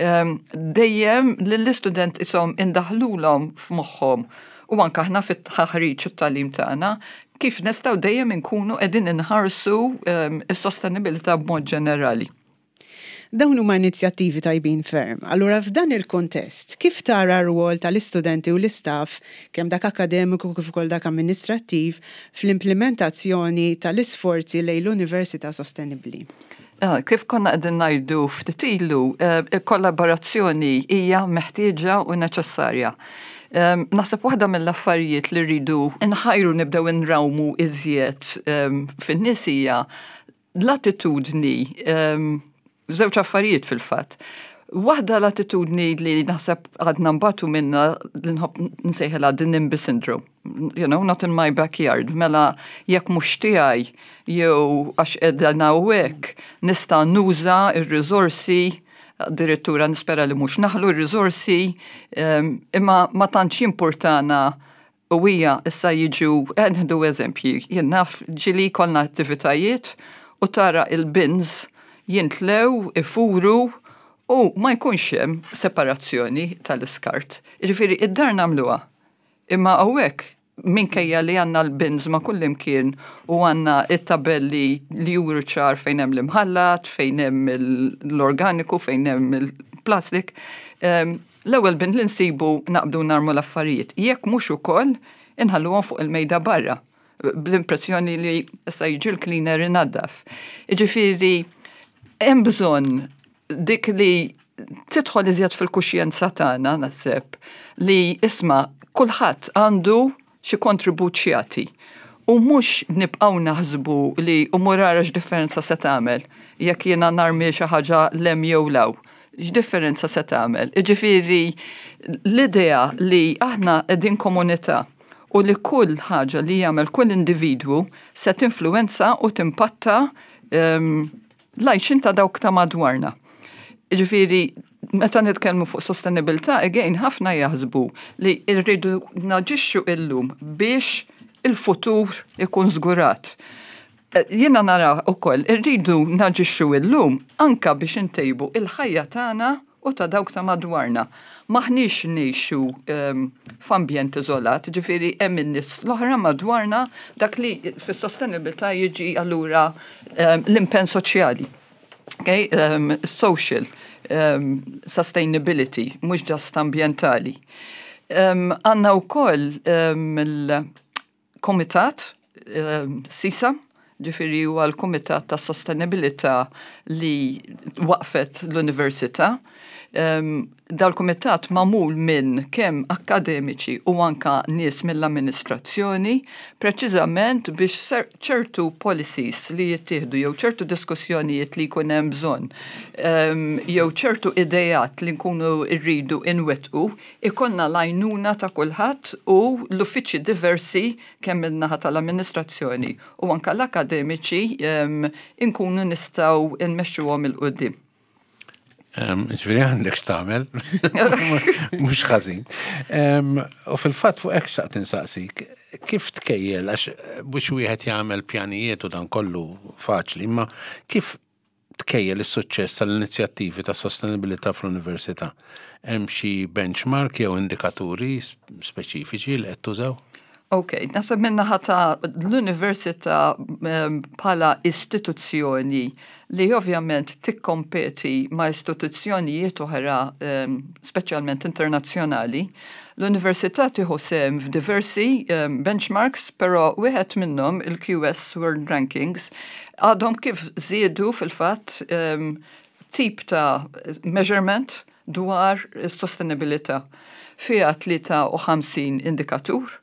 um, dejjem lill-istudent isom indaħlulhom f'moħħhom u anka aħna fit-taħriġ u t-tagħlim tagħna kif nistgħu dejjem inkunu qegħdin inħarsu um, is-sostenibilità b'mod ġenerali. Dawn huma inizjattivi tajbin ferm. Allura, f'dan il-kontest, kif tara r-rwol tal-istudenti u l-istaff, kemm dak akademiku kif ukoll dak amministrattiv, fl-implementazzjoni tal-isforzi lejn l-Università Sostenibbli? Ah, kif konna qegħdin ngħidu ftit ilu, eh, kollaborazzjoni hija meħtieġa u neċessarja. Um, naħseb waħda mill-affarijiet li rridu nħajru nibdew nrawmu iżjed um, fin-nies hija l-attitudni, um, żewġ affarijiet fil-fatt. Waħda, l-attitudni li naħseb għadna nbatu minna, li nħobb nsejħilha the NIMBY syndrome. You know, not in my backyard. Mela jekk mhux tiegħi jew għax qiegħda hawnhekk nista' nuża ir-riżorsi, addirittura nispera li mhux naħlu r-riżorsi, imma ma tantx importana. U hija issa jiġu, eh, nieħdu eżempji, jien naf ġieli kollna attivitajiet u tara il-bins jintlew, ifuru u ma jkunx hemm separazzjoni tal-iskart. Jiġifieri id-dar nagħmluha. Imma hawnhekk, minkejja li għandna l-bins ma' kullimkien u għandna it-tabelli li juru ċar fejn hemm l-imħallat, fejn hemm l-organiku, fejn hemm il-plastik, l-ewwel bin li nsibu naqbdu narmu l-affarijiet. Jekk mhux ukoll inħalluhom fuq il-mejda barra bl-impressjoni li issa jiġi l-cleaner inaddaf. Jiġifieri hemm bżonn dik li tidħol iżjed fil-kuxjenza tagħna, naħseb, li isma' kulħadd għandu xi kontribut x'jagħti. U mhux nibqgħu naħsbu li u mur ara x'differenza se tagħmel jekk jiena narmi xi ħaġa 'l hemm jew 'l hawn. X'differenza se tagħmel? Jiġifieri l-idea li aħna qegħdin komunità u li kull ħaġa li jagħmel kull individwu se tinfluwenza u timpatta um, l-għajxien ta' dawk ta' madwarna. Ġifieri, meta nitkellmu fuq sostenibilità, again, ħafna jaħsbu li rridu naġixxu illum biex il-futur ikun żgurat. Eh, jiena nara ukoll irridu naġixxu illum anka biex intejbu il-ħajja tagħna u ta' dawk ta' madwarna. M'aħniex ngħixu um, f'ambjent iżolat, ġifieri hemm in-nies l-oħra madwarna, dak li fis-sostenibilità jiġi allura um, l-impenn soċjali. Okay? Um, social um, sustainability, mhux just ambjentali. Għandna um, wkoll um, il-komitat um, SISA, ġifieri huwa l-Kumitat ta' Sostenibilità li waqfet l-Università. Um, Dal-kumitat magħmul minn kemm akademiċi u anka nies mill-amministrazzjoni, preċiżament biex ċertu policies li jittieħdu jew ċertu diskussjonijiet li jkun hemm bżonn um, jew ċertu idejat li nkunu rridu inwettqu, ikollna l-għajnuna ta' kulħadd u l-uffiċċji diversi, kemm min-naħa tal-amministrazzjoni u anka l-akademiċi, um, inkunu nistgħu nmexxuhom 'il quddiem. Ġifieri għandek x'tagħmel, mhux ħażin. U fil-fatt fuq hekk xtaqt insaqsik, kif tkejjel, għax biex wieħed jagħmel pjanijiet u dan kollu faċli, imma kif tkejjel is-suċċess tal-inizjattivi ta' sostenibilità fl-università? Hemm xi benchmark jew indikaturi speċifiċi li qed tużaw? Ok, naħseb min-naħa ta' l-università bħala istituzzjoni li ovvjament tikkompeti ma' istituzzjonijiet oħra, speċjalment internazzjonali, L-Università tieħu sehem f'diversi um, benchmarks, però wieħed minnhom, il-Q S World Rankings, għadhom kif żiedu fil-fatt um, tip ta' measurement dwar sostenibilità. Fiha tlieta u ħamsin indikatur.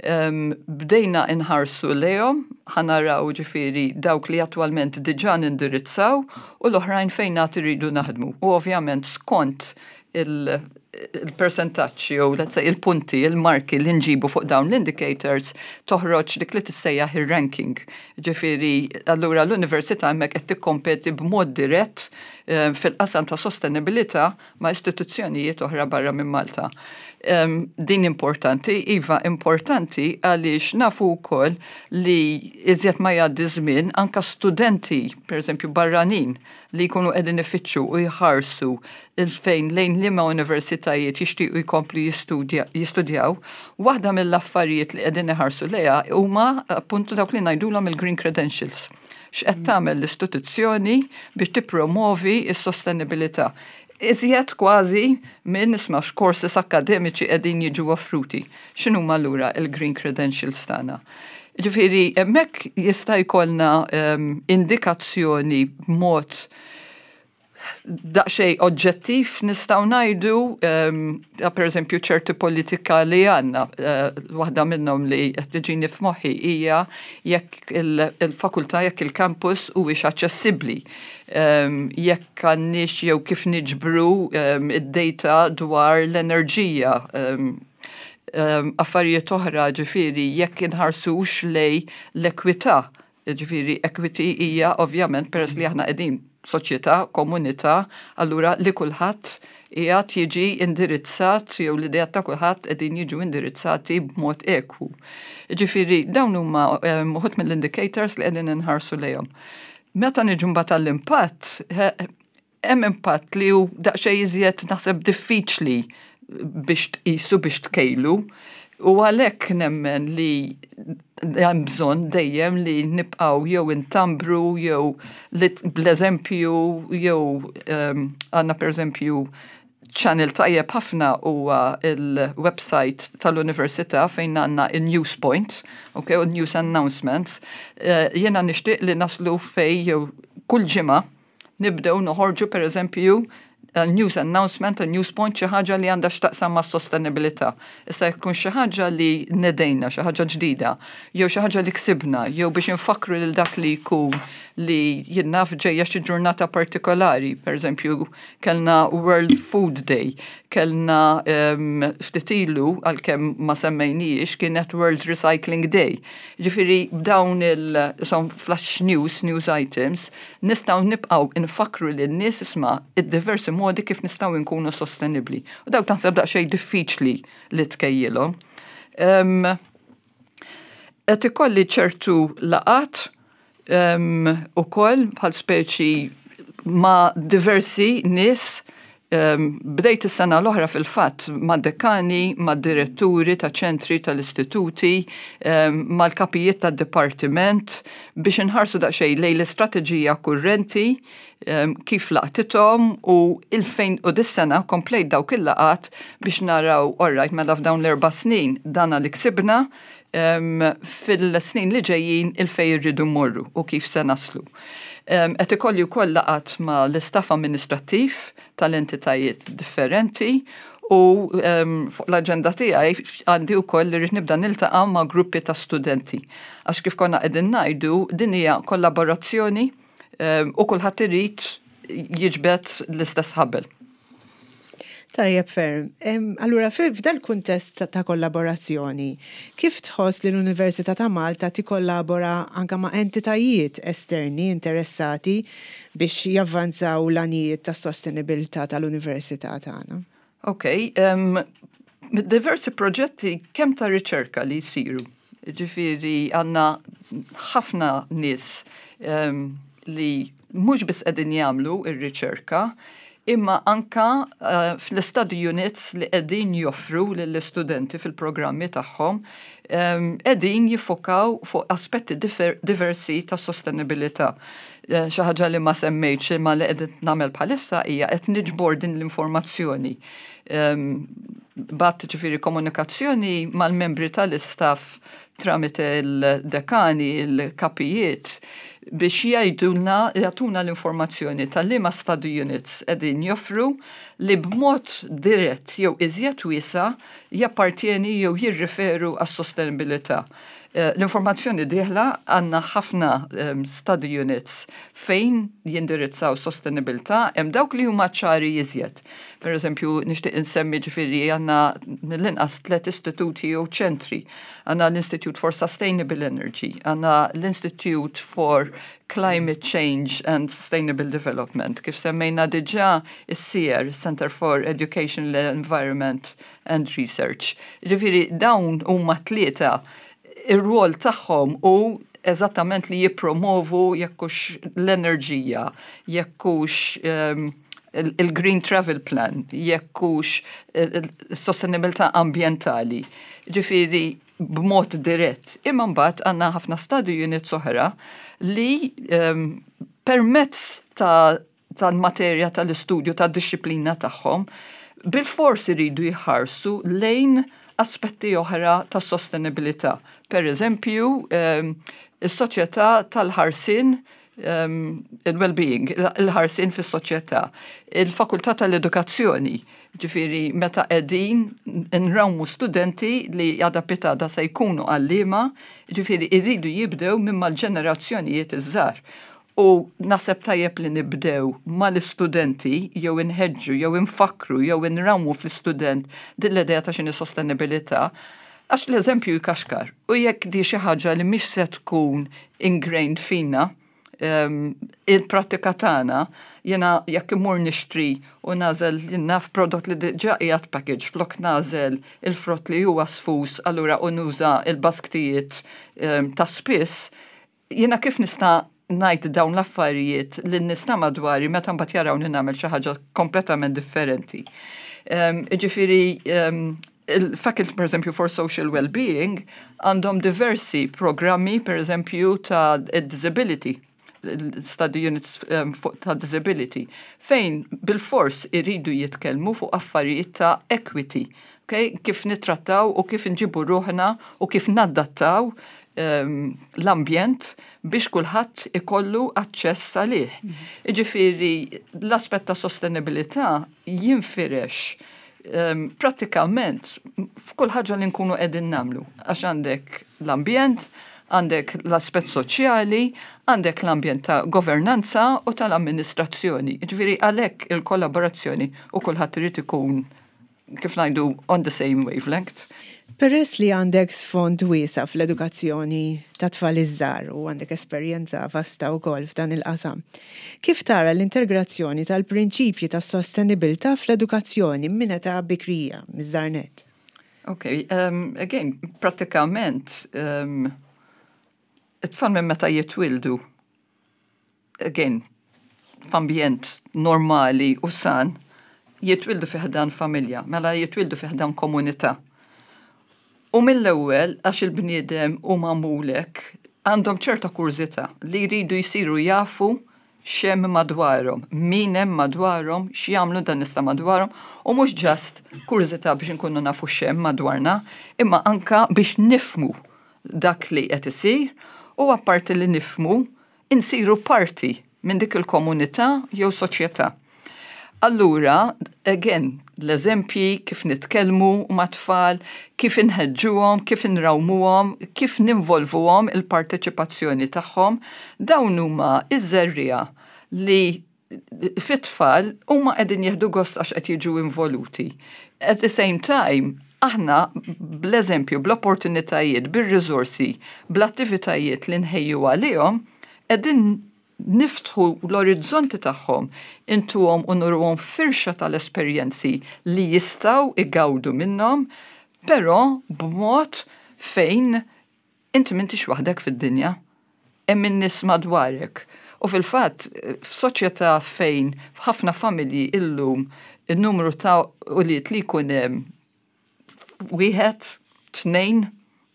Um, bdejna inħarsu lejhom, ħa naraw ġifieri dawk li attwalment diġà nindirizzaw u l-oħrajn fejn għad iridu naħdmu. U ovvjament skont il-percentaġġ jew, let's say, il-punti, il-marki li nġibu fuq dawn l-indicators, toħroġ dik li tissejjaħ ir-ranking. Ġifieri, allura l-università hemmhekk qed tikkompeti b'mod dirett eh, fil-qasam ta' sostenibilità ma' istituzzjonijiet oħra barra minn Malta. Um, din importanti, iva, importanti, għaliex nafu wkoll li iżjed ma jgħaddi żmien, anka studenti, per eżempju barranin, li jkunu qegħdin ifittxu u jħarsu il-fejn lejn liema universitajiet jixtiequ jkomplu jistudjaw, waħda mill-affarijiet li qegħdin iħarsu lejha huma appuntu dawk li ngħidulhom il-green credentials. X'qed tagħmel l-istituzzjoni biex tippromovi s-sostenibilità, iżjed kważi minn isma' x'courses akademiċi qegħdin jiġu offruti. X'inhuma allura il-green credentials tagħna? Ġifieri, hemmhekk jista' jkollna um, indikazzjoni b'mod daqxej oġġettiv, nistgħu ngħidu, um, per eżempju, ċerti politika li għandna, uh, waħda minnhom li qed tiġini f'moħħi hija jekk il-fakultà, jekk il-campus huwiex aċċessibbli, um, jekk għandniex jew kif niġbru um, id-data dwar l-enerġija, um, um, affarijiet oħra, ġifieri jekk inħarsux lejn l-ekwità. Ġifieri, equity hija ovvjament, peress li aħna qegħdin soċjetà, komunità, allura li kulħadd qiegħed jiġi indirizzat jew l-idea ta' kulħadd qegħdin jiġu indirizzati b'mod ekwu. Ġifieri, dawn huma uħud mill-indicators li qegħdin inħarsu lejhom. Meta niġu mbagħad għall-impatt, hemm impatt li hu daqsxejn iżjed, naħseb, diffiċli biex tqisu, biex tkejlu. U għalhekk nemmen li hemm bżonn dejjem li nibqgħu jew intambru jew bl-eżempju jew għandna, per eżempju, channel tajjeb ħafna huwa il-website tal-università fejn għandna il-news point, okay, u news announcements. Uh, Jena nixtieq li naslu fej jew kull ġimgħa nibdew noħorġu, per eżempju, a news announcement, a news point, xi ħaġa li għandha x'taqsam ma' sostenibilità. Issa jkun xi ħaġa li nedejna, xi ħaġa ġdida, jew xi ħaġa li ksibna, jew biex infakkru lil dak li jkun li jien naf ġejja xi ġurnata partikolari. Per eżempju, kellna World Food Day, kellna um, ftit ilu, għalkemm ma semmejnijiex, kienet World Recycling Day. Ġifieri, b'dawn il- flash news, news items, nistgħu nibqgħu nfakkru lin-nies, isma', id-diversi modi kif nistgħu nkunu sostenibli. U dawk taħseb daqsxejn diffiċli li tkejjilhom. Um, qed ikolli ċertu laqgħat um, ukoll bħal speċi ma' diversi nies. um, bdejt is-sena l-oħra fil-fatt ma' dekani, ma' diretturi ta' ċentri tal-istituti, um, mal-kapijiet ta' dipartiment biex inħarsu daqsxejn lejn l-istrateġija kurrenti, um, kif laqtithom u il-fejn, u dis-sena komplejt dawk il-laqgħat biex naraw, alright, mela f'dawn l-erba' snin dana li ksibna, um, fil-snin li ġejjin il-fej irridu mmorru u kif se naslu. Um, qed ikolli wkoll laqgħat ma' l-istaff amministrattiv tal-entitajiet differenti u um, fuq l-aġenda tiegħi għandi wkoll li rrid nibda niltaqa' ma' gruppi ta' studenti. Għax kif konna qegħdin ngħidu, din hija kollaborazzjoni um, u kulħadd irid jiġbed l-istess ħabel. Tajjeb ferm. Allura, f'dal kuntest ta' kollaborazzjoni, kif tħoss li l-Università ta' Malta tikkollabora anka ma' entitajiet esterni interessati biex javvanzaw l-għanijiet ta' sostenibilità tal-Università tagħna? Ok, um, diversi proġetti kemm ta' riċerka li jsiru. Ġifieri għandna ħafna nies um, li mhux biss qegħdin jagħmlu ir-riċerka, Imma anka uh, fl-study units li qegħdin joffru lill-istudenti fil-programmi tagħhom um, qegħdin jiffokaw fuq aspetti diversi ta' sostenibilità. Eh, xi ħaġa li ma semmejtx imma li qed nagħmel bħalissa hija qed niġbor din l-informazzjoni. Um, bgħatt, ġifieri, komunikazzjoni mal-membri tal-istaff tramite il-dekani, il-kapijiet, biex jgħidulna, jagħtuna l-informazzjoni tal-liema study units qegħdin joffru li b'mod dirett jew iżjed wiesa' jappartjeni jew jirriferu għas-sostenibilità. Eh, l-informazzjoni dieħla, għandna ħafna um, study units fejn jindirizzaw sostenibilità, hemm dawk li huma ċari iżjed. Per eżempju, nixtieq insemmi, ġifieri, għandna mill-inqas tliet istituti jew ċentri. Għandna l-Institute for Sustainable Energy, għandna l-Institute for Climate Change and Sustainable Development. Kif semmejna diġà, is-CEER, Center for Education, Environment and Research. Ġifieri, dawn huma tlieta, ir-rol tagħhom hu eżattament li jippromovu jekk hux l-enerġija, jekk hux um, il-Green Travel Plan, jekk hux il-sostenibilità ambientali. Ġifieri, b'mod dirett. Imma mbagħad għandna ħafna study units oħra li um, permezz ta' tal-materja tal-istudju, tad-disciplina tagħhom, bil-fors iridu jħarsu lejn aspetti oħra ta' sostenibilità. Per eżempju, um, is-soċjetà tal-ħarsien, um, il-well-being, il-ħarsien fis-soċjetà, il-fakultà tal-edukazzjoni, ġifieri meta qegħdin nrawmu studenti li għada pitgħada se jkunu għalliema, ġifieri irridu jibdew minn mal-ġenerazzjonijiet iż-żgħar. U naħseb tajjeb li nibdew mal-istudenti jew inħeġġu jew infakru jew inrawmu fl-istudent din l-idea ta' x'inhi sostenibilità, għax l-eżempju jkaxkar. U jekk di xi ħaġa li mhix se tkun ingrained fina, um, il-prattika tagħna, jiena jekk imur nixtri u nagħżel naf prodott li diġà qiegħed package flok nagħżel il-frott li huwa sfus, allura u nuża il-basktijiet um, ta' spiss, jiena kif nista' ngħid dawn l-affarijiet li nista' madwari meta mbagħad jarawni nagħmel xi ħaġa kompletament differenti? Um, ġifieri, um, il-Faculty, per eżempju, for Social Well-Being għandhom diversi programmi, per eżempju, ta' disability, study units um, ta' disability, fejn bil-fors iridu jitkellmu fuq affarijiet ta' equity, okay? Kif nitrattaw u kif nġibu ruħna u kif naddattaw um, l-ambjent biex kulħadd ikollu aċċess għalih. Mm. Ġifieri, l-aspett ta' sostenibilità jinfirex um, prattikament f'kull ħaġa li nkunu qegħdin nagħmlu. Għax għandek l-ambjent, għandek l-aspett soċjali, għandek l-ambjent ta' governanza u tal-amministrazzjoni. Ġifieri, għalhekk il-kollaborazzjoni u kulħadd irid ikun, kif ngħidu, on the same wavelength. Peress li għandek sfond wiesa' fl-edukazzjoni ta' tfal iż-żgħar u għandek esperjenza vasta wkoll f'dan il-qasam, kif tara l-integrazzjoni tal-prinċipji ta' sostenibilità fl-edukazzjoni minn età bikrija, miż-żgħar nett? Ok, um, again, prattikament, um, it-tfal minn meta jitwildu, again, f'ambjent normali u san, jitwildu fi ħdan familja, mela jitwildu fi ħdan komunità. U mill-ewwel, għax il-bniedem hu magħmul hekk, għandhom ċerta kurżità li jridu jsiru jafu x'hemm madwarhom, min hemm madwarhom, x'jagħmlu dan nista' madwarhom, u mhux just kurżità biex inkunu nafu x'hemm madwarna, imma anka biex nifhmu dak li qed isir u, apparti li nifhmu, insiru parti minn dik il-komunità jew soċjetà. Allura, again, l-eżempji, kif nitkellmu ma' tfal, kif inħeġġuhom, kif inrawmuhom, kif ninvolvuhom, il-parteċipazzjoni tagħhom, dawn huma iż-żerriegħa li fit-tfal huma qegħdin jieħdu gost għax qed jiġu involuti. At the same time, aħna bl-eżempju, bl-opportunitajiet, bir-riżorsi, bl-attivitajiet li nħejju għalihom, qegħdin niftħu l-orizzonti tagħhom, intuhom u nuruhom firxa tal-esperjenzi li jistgħu igawdu minnhom, però b'mod fejn inti m'intix waħdek fid-dinja, hemm in-nies madwarek. U fil-fatt, f'soċjetà fejn f'ħafna familji illum il-numru ta' ulied li jkun hemm wieħed, tnejn,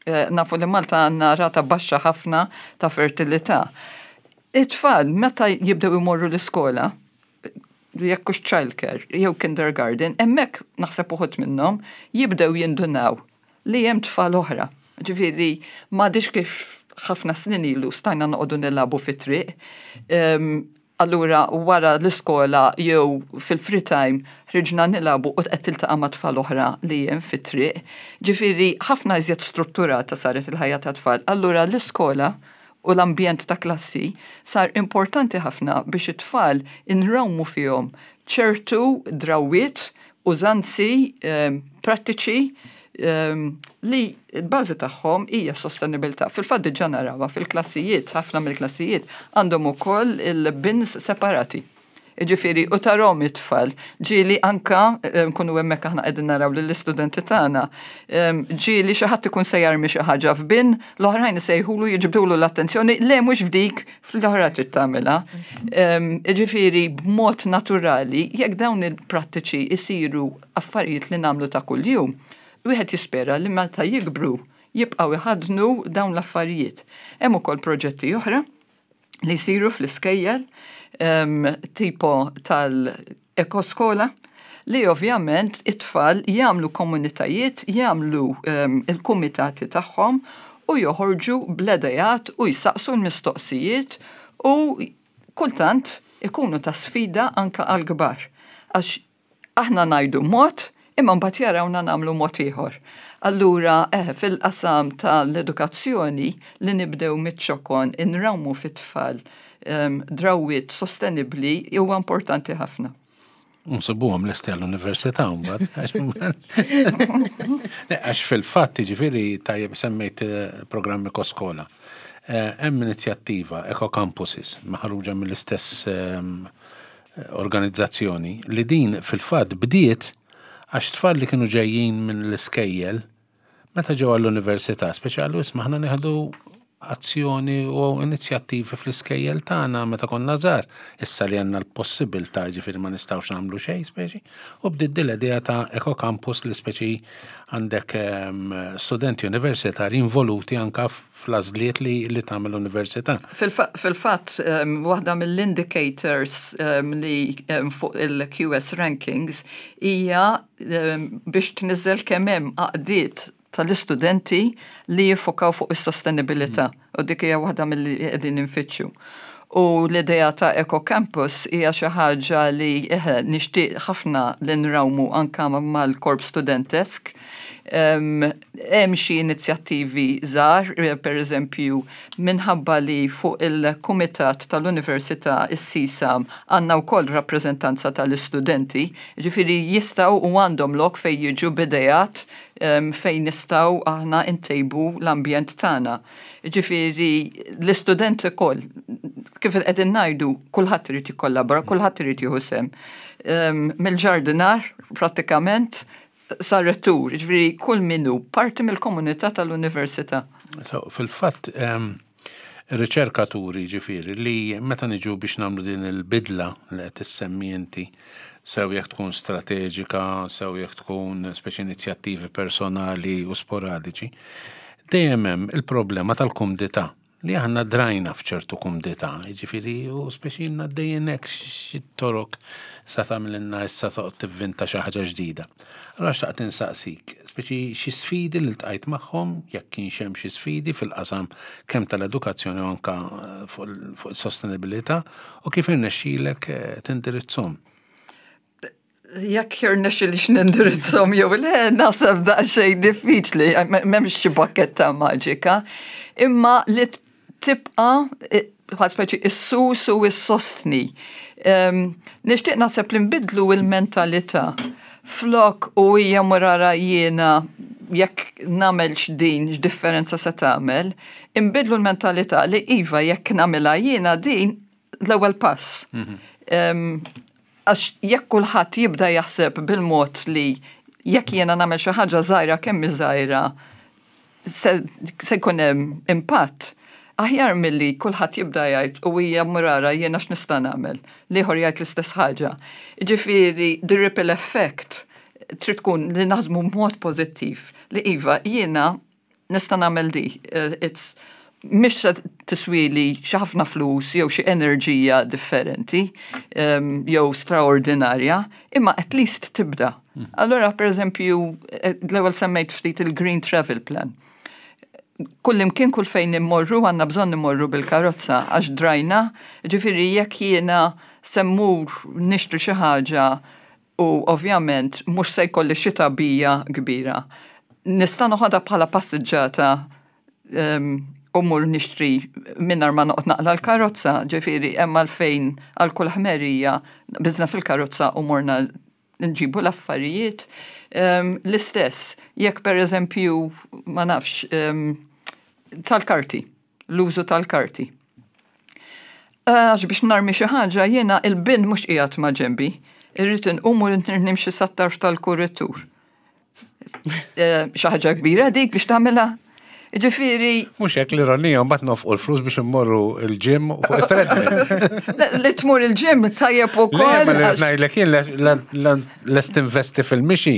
eh, nafu li Malta għandna rata baxxa ħafna ta' fertilità. It-tfal meta jibdew imorru l-iskola, jekk hux childcare jew kindergarten, hemmhekk naħseb uħud minnhom jibdew jindunaw li hemm tfal oħra. Ġifieri m'għadix kif ħafna snin ilu stajna noqogħdu nilagħbu fit-triq. Allura wara l-iskola jew fil-free time ħriġna nilagħbu u qed tiltaqa' ma' tfal oħra li hemm fit-triq. Ġifieri ħafna iżjed strutturata saret il-ħajja ta' tfal. Allura l-iskola u l-ambjent ta' klassi sar importanti ħafna biex it-tfal inrawmu fihom ċertu drawiet, użanzi prattiċi li l-bażi tagħhom hija sostenibilità. Fil-fatt diġà narawha fil-klassijiet, ħafna mill-klassijiet għandhom ukoll il-bins separati. Ġifieri, u tarahom it-tfal, ġieli anka, nkunu hemmhekk aħna qegħdin naraw lill-istudenti tagħna, ġieli xi ħadd ikun se jarmi xi ħaġa f'bin, l-oħrajn isejħulu jiġbdulu l-attenzjoni, le mhux f'dik, fl-oħra trid tagħmilha. Ġifieri, b'mod naturali, jekk dawn il-prattiċi isiru affarijiet li nagħmlu ta' kuljum, wieħed jispera li meta jikbru jibqgħu jħaddnu dawn l-affarijiet. Hemm ukoll proġetti oħra li jsiru fl-iskejjel, tipo tal-ekoskola, li ovvjament it-tfal jagħmlu komunitajiet, jagħmlu il-kumitati tagħhom u joħorġu bl-idejat u jsaqsu l-mistoqsijiet u kultant ikunu ta' sfida anka għal-kbar. Għax aħna ngħidu mod, imma mbagħad jarawna nagħmlu mod ieħor. Allura, eh, fil-qasam tal-edukazzjoni li nibdew miċ-ċokon inrawmu fit-tfal drawiet sostenibbli huwa importanti ħafna. Nsibuhom lesti għall-università mbagħad. Għax fil-fatt ġifieri tajjeb semmejt eh, programmi Ekoskola. Eh, hemm inizjattiva Eco Campuses maħruġa mill-istess ehm, organizzazzjoni li din fil-fatt bdiet għax tfal li kienu ġejjin minn l-iskejjel meta ġew għall-università, speċjali isma' aħna nieħdu azzjoni u inizjattivi fl-iskejjel tagħna meta konna żgħar. Issa li għandna l-possibilità ġifieri ma nistgħux nagħmlu xejn speċi. U bdiet din l-idea ta' Eco Campus li speċi għandek ehm, studenti universitari involuti anka fl-għażliet li, li tagħmel l-università. Fil-fatt, um, waħda mill-indicators um, li um, fuq il-Q S rankings hija um, biex tniżel kemm hemm għaqdiet tal-istudenti li jiffokaw fuq is-sostenibilità u dik hija waħda mill-li qegħdin infittxu. U l-idea ta' Eco Campus hija xi ħaġa li eħe, nixtieq ħafna li nrawmu anka mal-korp studentesk. Hemm xi inizjattivi żgħar, per eżempju, minħabba li fuq il-kumitat tal-Università is-SISAM għandna wkoll rappreżentanza tal-istudenti, ġifieri jistgħu u għandhom lok fejn jiġu b'ideat fejn nistgħu aħna ntejbu l-ambjent tagħna. Ġifieri l-istudenti ukoll, kif qegħdin ngħidu, kulħadd irid jikkollabora, kulħadd irid jieħu sehem. Mill-ġardinar, prattikament, sar rettur, ġifieri kull min hu parti mill-komunità tal-università. So, fil-fatt, riċerkaturi ġifieri li meta niġu biex nagħmlu din il-bidla li qed issemmi inti, sew jekk tkun strateġika, sew jekk tkun speċi inizjattivi personali u sporadiċi, dejjem hemm il-problema tal-kumdità li aħna drajna f'ċertu kumdità, ġifieri u speċi għaddejjin hekk xi torok sa tagħmilna issa toqgħod tivvinta xi ħaġa ġdida. Allura xtaqt insaqsik, speċi xi sfidi li ltqajt magħhom, jekk kienx hemm xi sfidi fil-qasam kemm tal-edukazzjoni u anka fuq is-sostenibilità u kif irnexxielek eh, tindirizzhom. Jekk jirnexxilix nindirizzhom jew le, naħseb daqsxejn diffiċli, m'hemmx xi bakketta maġika, imma li tibqa' bħal speċi issus u issostni. Nixtieq naħseb li nbidlu il-mentalità. Flok u hija murara jiena jekk nagħmel din x'differenza se tagħmel, inbidlu l-mentalità li iva jekk nagħmilha jiena din l-ewwel pass. Għax jekk kulħadd jibda jaħseb bil-mod li jekk jiena nagħmel xi ħaġa żgħira kemm żgħira se jkun hemm impatt, Aħjar milli kulħadd jibda jgħid u hija murara jiena x'nista' nagħmel. L-ieħor jgħid l-istess ħaġa. Ġifieri, the ripple effect trid tkun li naħdmu b'mod pożittiv li iva jiena nista' nagħmel di. Eh, it's mhix se tiswili xi ħafna flus jew xi enerġija differenti um, jew straordinarja, imma at least tibda. Allora, per eżempju, eh, l-ewwel semmejt ftit il-Green Travel Plan. Kull imkien, kull fejn immorru, għandna bżonn immorru bil-karozza għax drajna, ġifieri jekk jiena se mmur nixtri xi ħaġa u ovvjament mhux se jkolli xi tagħbija kbira. Nista' noħodha bħala passiġġata um, u mmur nixtri mingħajr ma noqgħod naqla l-karozza, ġifieri hemm għalfejn għal kull ħmerija biżna fil-karozza u morna nġibu l-affarijiet. Um, L-istess, jekk per eżempju, ma nafx, um, tal-karti, l-użu tal-karti. Għax biex narmi xi ħaġa jiena il-bin mhux qiegħed ma' ġenbi, irrid inqum u nimxi sat-tarf tal-kuritur. Eh, Xi ħaġa kbira dik biex tagħmilha. Ġifieri, Mhux hekk, l-ironija, mbagħad nofqu l-flus biex immorru il-gym fuq il-treadmill. Li tmur il-gym tajjeb Le, ukoll. ma li għax- ngħidlek jien lest investi fil-mixi,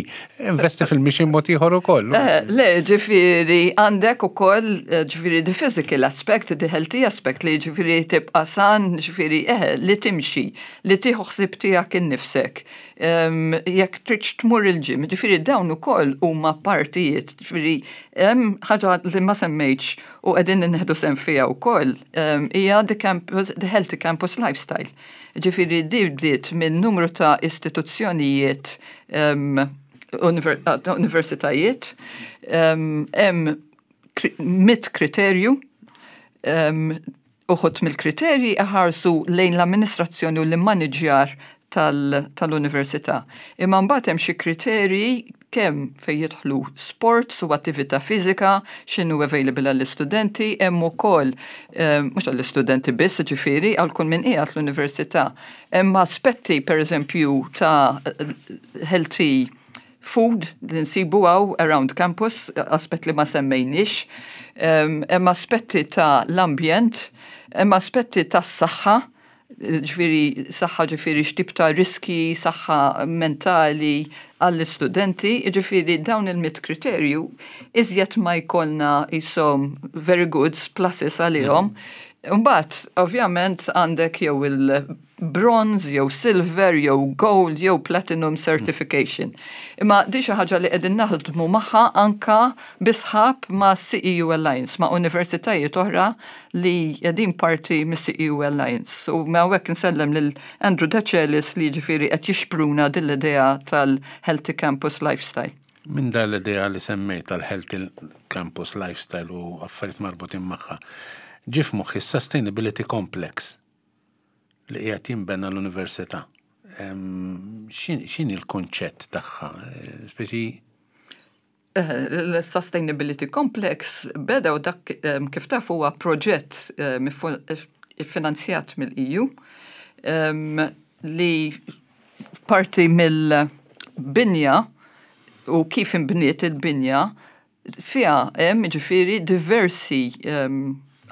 investi fil-mixi mod ieħor ukoll. Eh, Le, ġifieri, għandek ukoll, eh, ġifieri, the physical aspect, the healthy aspect, li ġifieri tibqa san, ġifieri, eh, li timxi, li tieħu ħsieb tiegħek innifsek. Um, jekk tridx tmur il-gym, ġifieri dawn ukoll huma partijiet, ġifieri, hemm ħaġa li ma semmejtx u qegħdin nieħdu sehem fiha wkoll, um, hija the, campus, the healthy campus lifestyle. Ġifieri, di bdiet minn numru ta' istituzzjonijiet um, univer- uh, universitajiet, um, hemm kri- mitt kriterju, um, uħud mill-kriterji iħarsu lejn l-amministrazzjoni u l-immaniġjar tal-università. Imma mbagħad hemm xi kriterji kemm fejn jidħlu sports u attività fiżika, x'inhu available għall-istudenti, hemm ukoll eh, mhux għall-istudenti biss, ġifieri għal kull min qiegħed l-università. Hemm aspetti pereżempju ta' healthy food li nsibu hawn around campus, aspett li ma semmejniex, hemm aspetti ta' l-ambjent, hemm aspetti ta' s-saħħa, ġifieri, saħħa, ġifieri x'tip ta' riski, saħħa mentali għall-istudenti, ġifieri dawn il-mitt kriterju, iżjed ma jkollna jisom very good pluses għalihom. Mbagħad, ovvjament, għandek jew il-bronze, jew silver, jew gold, jew platinum certification. Imma di xi ħaġa li qegħdin naħdmu magħha anka bi sħab ma' C E U Alliance, ma' universitajiet oħra li qegħdin parti mis C E U Alliance. U ma' hawnhekk nsellem lil Andrew Decelis li ġifieri qed jixpruna din l-idea tal-Healthy Campus Lifestyle. Minn dan l-idea li semmejt tal-Healthy Campus Lifestyle u affarijiet marbutin magħha, ġie f'moħħi Sustainability Complex li qiegħed jinbena l-università. X'inhi l-konċett tagħha? Speċi L-Sustainability Complex beda u dak, kif taf, huwa proġett finanzjat mill-E U li parti mill-binja u kif imbniet il-binja fiha hemm ġifieri diversi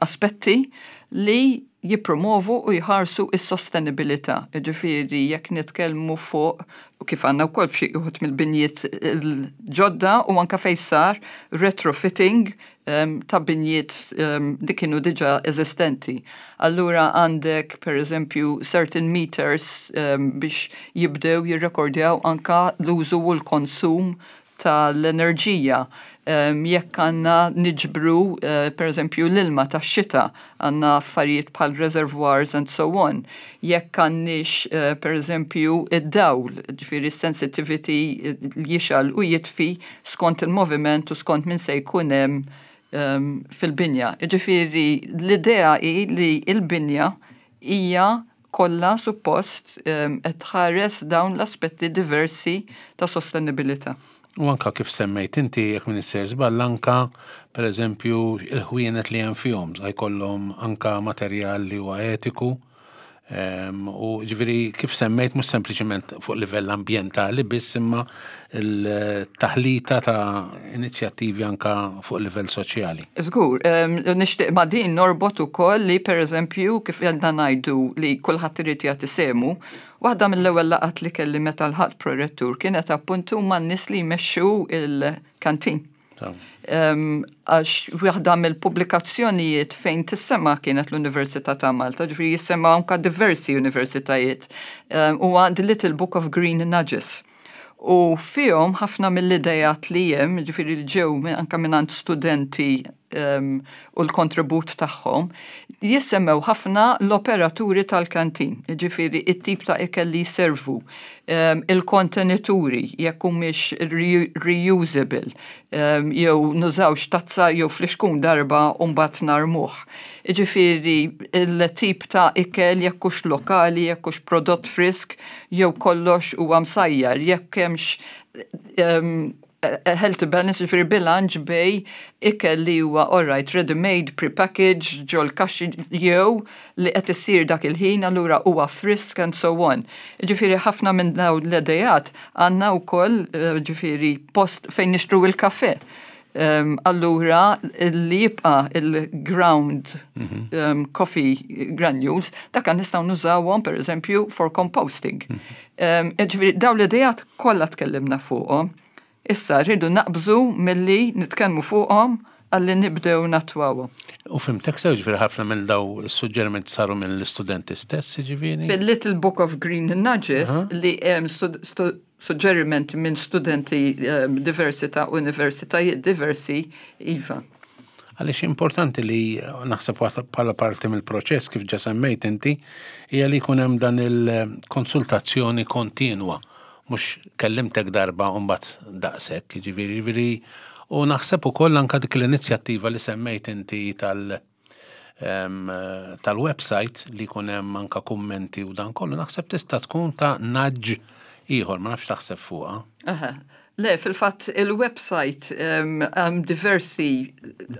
aspetti li jipromovu u jħarsu is-sostenibilità. Ġifieri jekk nitkellmu fuq u kif għandna wkoll f'xi uħud mill-binjiet il-ġodda u anka fejn sar retrofitting um, ta' binjiet um, li kienu diġà eżistenti. Allura għandek per eżempju certain meters um, biex jibdew jirrekordjaw anka l-użu u l-konsum tal-enerġija. Um, jekk għandna niġbru, uh, per eżempju, l-ilma ta' xita, għandna affarijiet bħal reservoirs and so on. Jekk għandniex, uh, per eżempju, id-dawl, ġifieri sensitivity li jixgħel u jitfi skont il-moviment u skont min se jkun hemm um, fil-binja. Ġifieri, l-idea hi li il-binja hija kollha suppost um, qed tħares dawn l-aspetti diversi ta' sostenibilità. U anka kif semmejt inti, jekk m'iniex sejjer żball, anka per eżempju il-ħwienet li hemm fihom, jkollhom anka materjal li huwa etiku, U ġifieri kif semmejt, mhux sempliċement fuq livell ambjentali biss, imma il-taħlita ta' inizjattivi anka fuq livell soċjali. Żgur, nixtieq ma' din norbot ukoll li, pereżempju, kif għandna ngħidu li kulħadd irid jagħti sehmu, waħda mill-ewwel laqgħat li kelli meta lħaqt prorettur kienet appuntu man-nies li jmexxu il-kantin. Għax waħda mill-pubblikazzjonijiet fejn tissemma kienet l-Università ta' Malta, ġifieri jissemma anka diversi universitajiet, huwa The Little Book of Green Nudges. U fihom ħafna mill-idejat li hemm, ġifieri li ġew anka minn studenti u l-kontribut tagħhom, jissemmew ħafna l-operaturi tal-kantin, ġifieri it-tip ta' ikel li jservu, il-kontenituri, jekk humiex reusable, jew nużawx tazza jew flixkun darba u mbagħad narmuh. Ġifieri il-tip ta' ikel, jekk hux lokali, jekk hux prodott frisk, jew kollox huwa msajjar, jekk hemmx healthy balance, ġifieri bilanċ bejn ikel li huwa alright, ready-made, pre-packaged, ġol kaxxi, jew li qed issir dak il-ħin, allura huwa frisk and so on. Ġifieri ħafna minn dawn l-idejat għandna wkoll, eh, ġifieri post fejn nixtru il-kafe. Um, allura li jibqa il-ground mm -hmm. um, coffee granules, dak nistgħu nużawhom, per eżempju, for composting. Mm -hmm. um, ġifieri dawn l-idejat kollha tkellimna fuqhom. Issa rridu naqbżu milli nitkellmu fuqhom għalli nibdew nattwawhom. U fhimtek sew, ġifieri ħafna minn daw is-suġġerimenti saru minn l-istudenti stess, ġifieri? Fil-Little Book of Green Nudges li hemm suġġerimenti minn studenti diversi ta' universitajiet diversi, iva. Għaliex importanti li naħseb bħala parti mill-proċess, kif ġa semmejt inti, hija li jkun hemm dan il-konsultazzjoni kontinwa, mhux kellimtek darba u mbagħad daqshekk, ġifieri ġifieri u naħseb ukoll anka dik l-inizjattiva li semmejt inti tal- tal-website li jkun hemm anka kummenti u dan kollu, naħseb tista' tkun ta' nudge ieħor, ma nafx taħseb fuqha. Aha. Le, fil-fatt il-website hemm diversi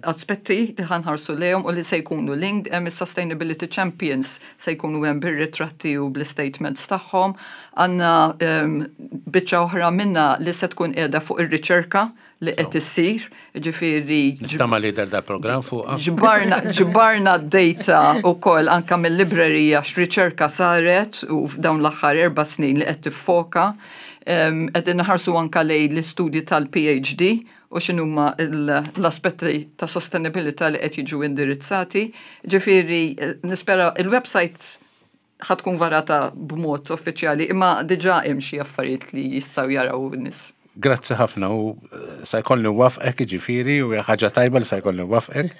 aspetti li ħa nħarsu lejhom u li se jkunu linked. Hemm is-Sustainability Champions, se jkunu hemm bir-ritratti u bl-statements tagħhom. Għandna biċċa oħra minna li se tkun qiegħda fuq ir-riċerka li qed issir, ġifieri Nittama li dal-programm fuq. Ġbarna ġbarna d-data wkoll anka mill-librerija x'riċerka saret u f'dawn l-aħħar erba' snin li qed tiffoka. Qegħdin naħarsu anka lejn l-istudji tal-P H D u x'inhuma l-aspetti ta' sostenibilità li qed jiġu indirizzati. Ġifieri nispera il-website ħa tkun varata b'mod uffiċjali, imma diġà hemm xi affarijiet li jistgħu jaraw in-nies. Grazzi ħafna u eh, sa jkolli nwafqek, ġifieri, u ħaġa tajba li sa jkolli nwafqek.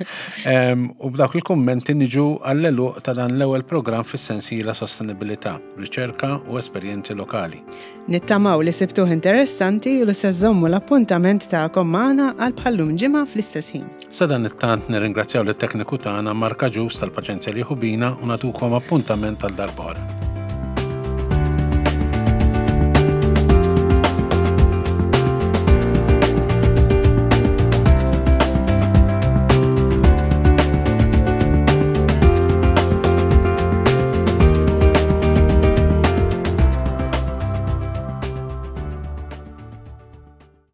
U b'dawk il-kummenti niġu għall-għeluq ta' dan l-ewwel programm fis-sensiela Sostenibilità, Riċerka u Esperjenzi Lokali. Nittamaw li sibtuh interessanti u li se żżommu l-appuntament tagħkom magħna għal bħallum ġimgħa fl-istess ħin. Sadanittant nirringrazzjaw lit-tekniku tagħna Marka Ġus tal-paċenzja li bina u nagħtukom appuntament għal darb'oħra.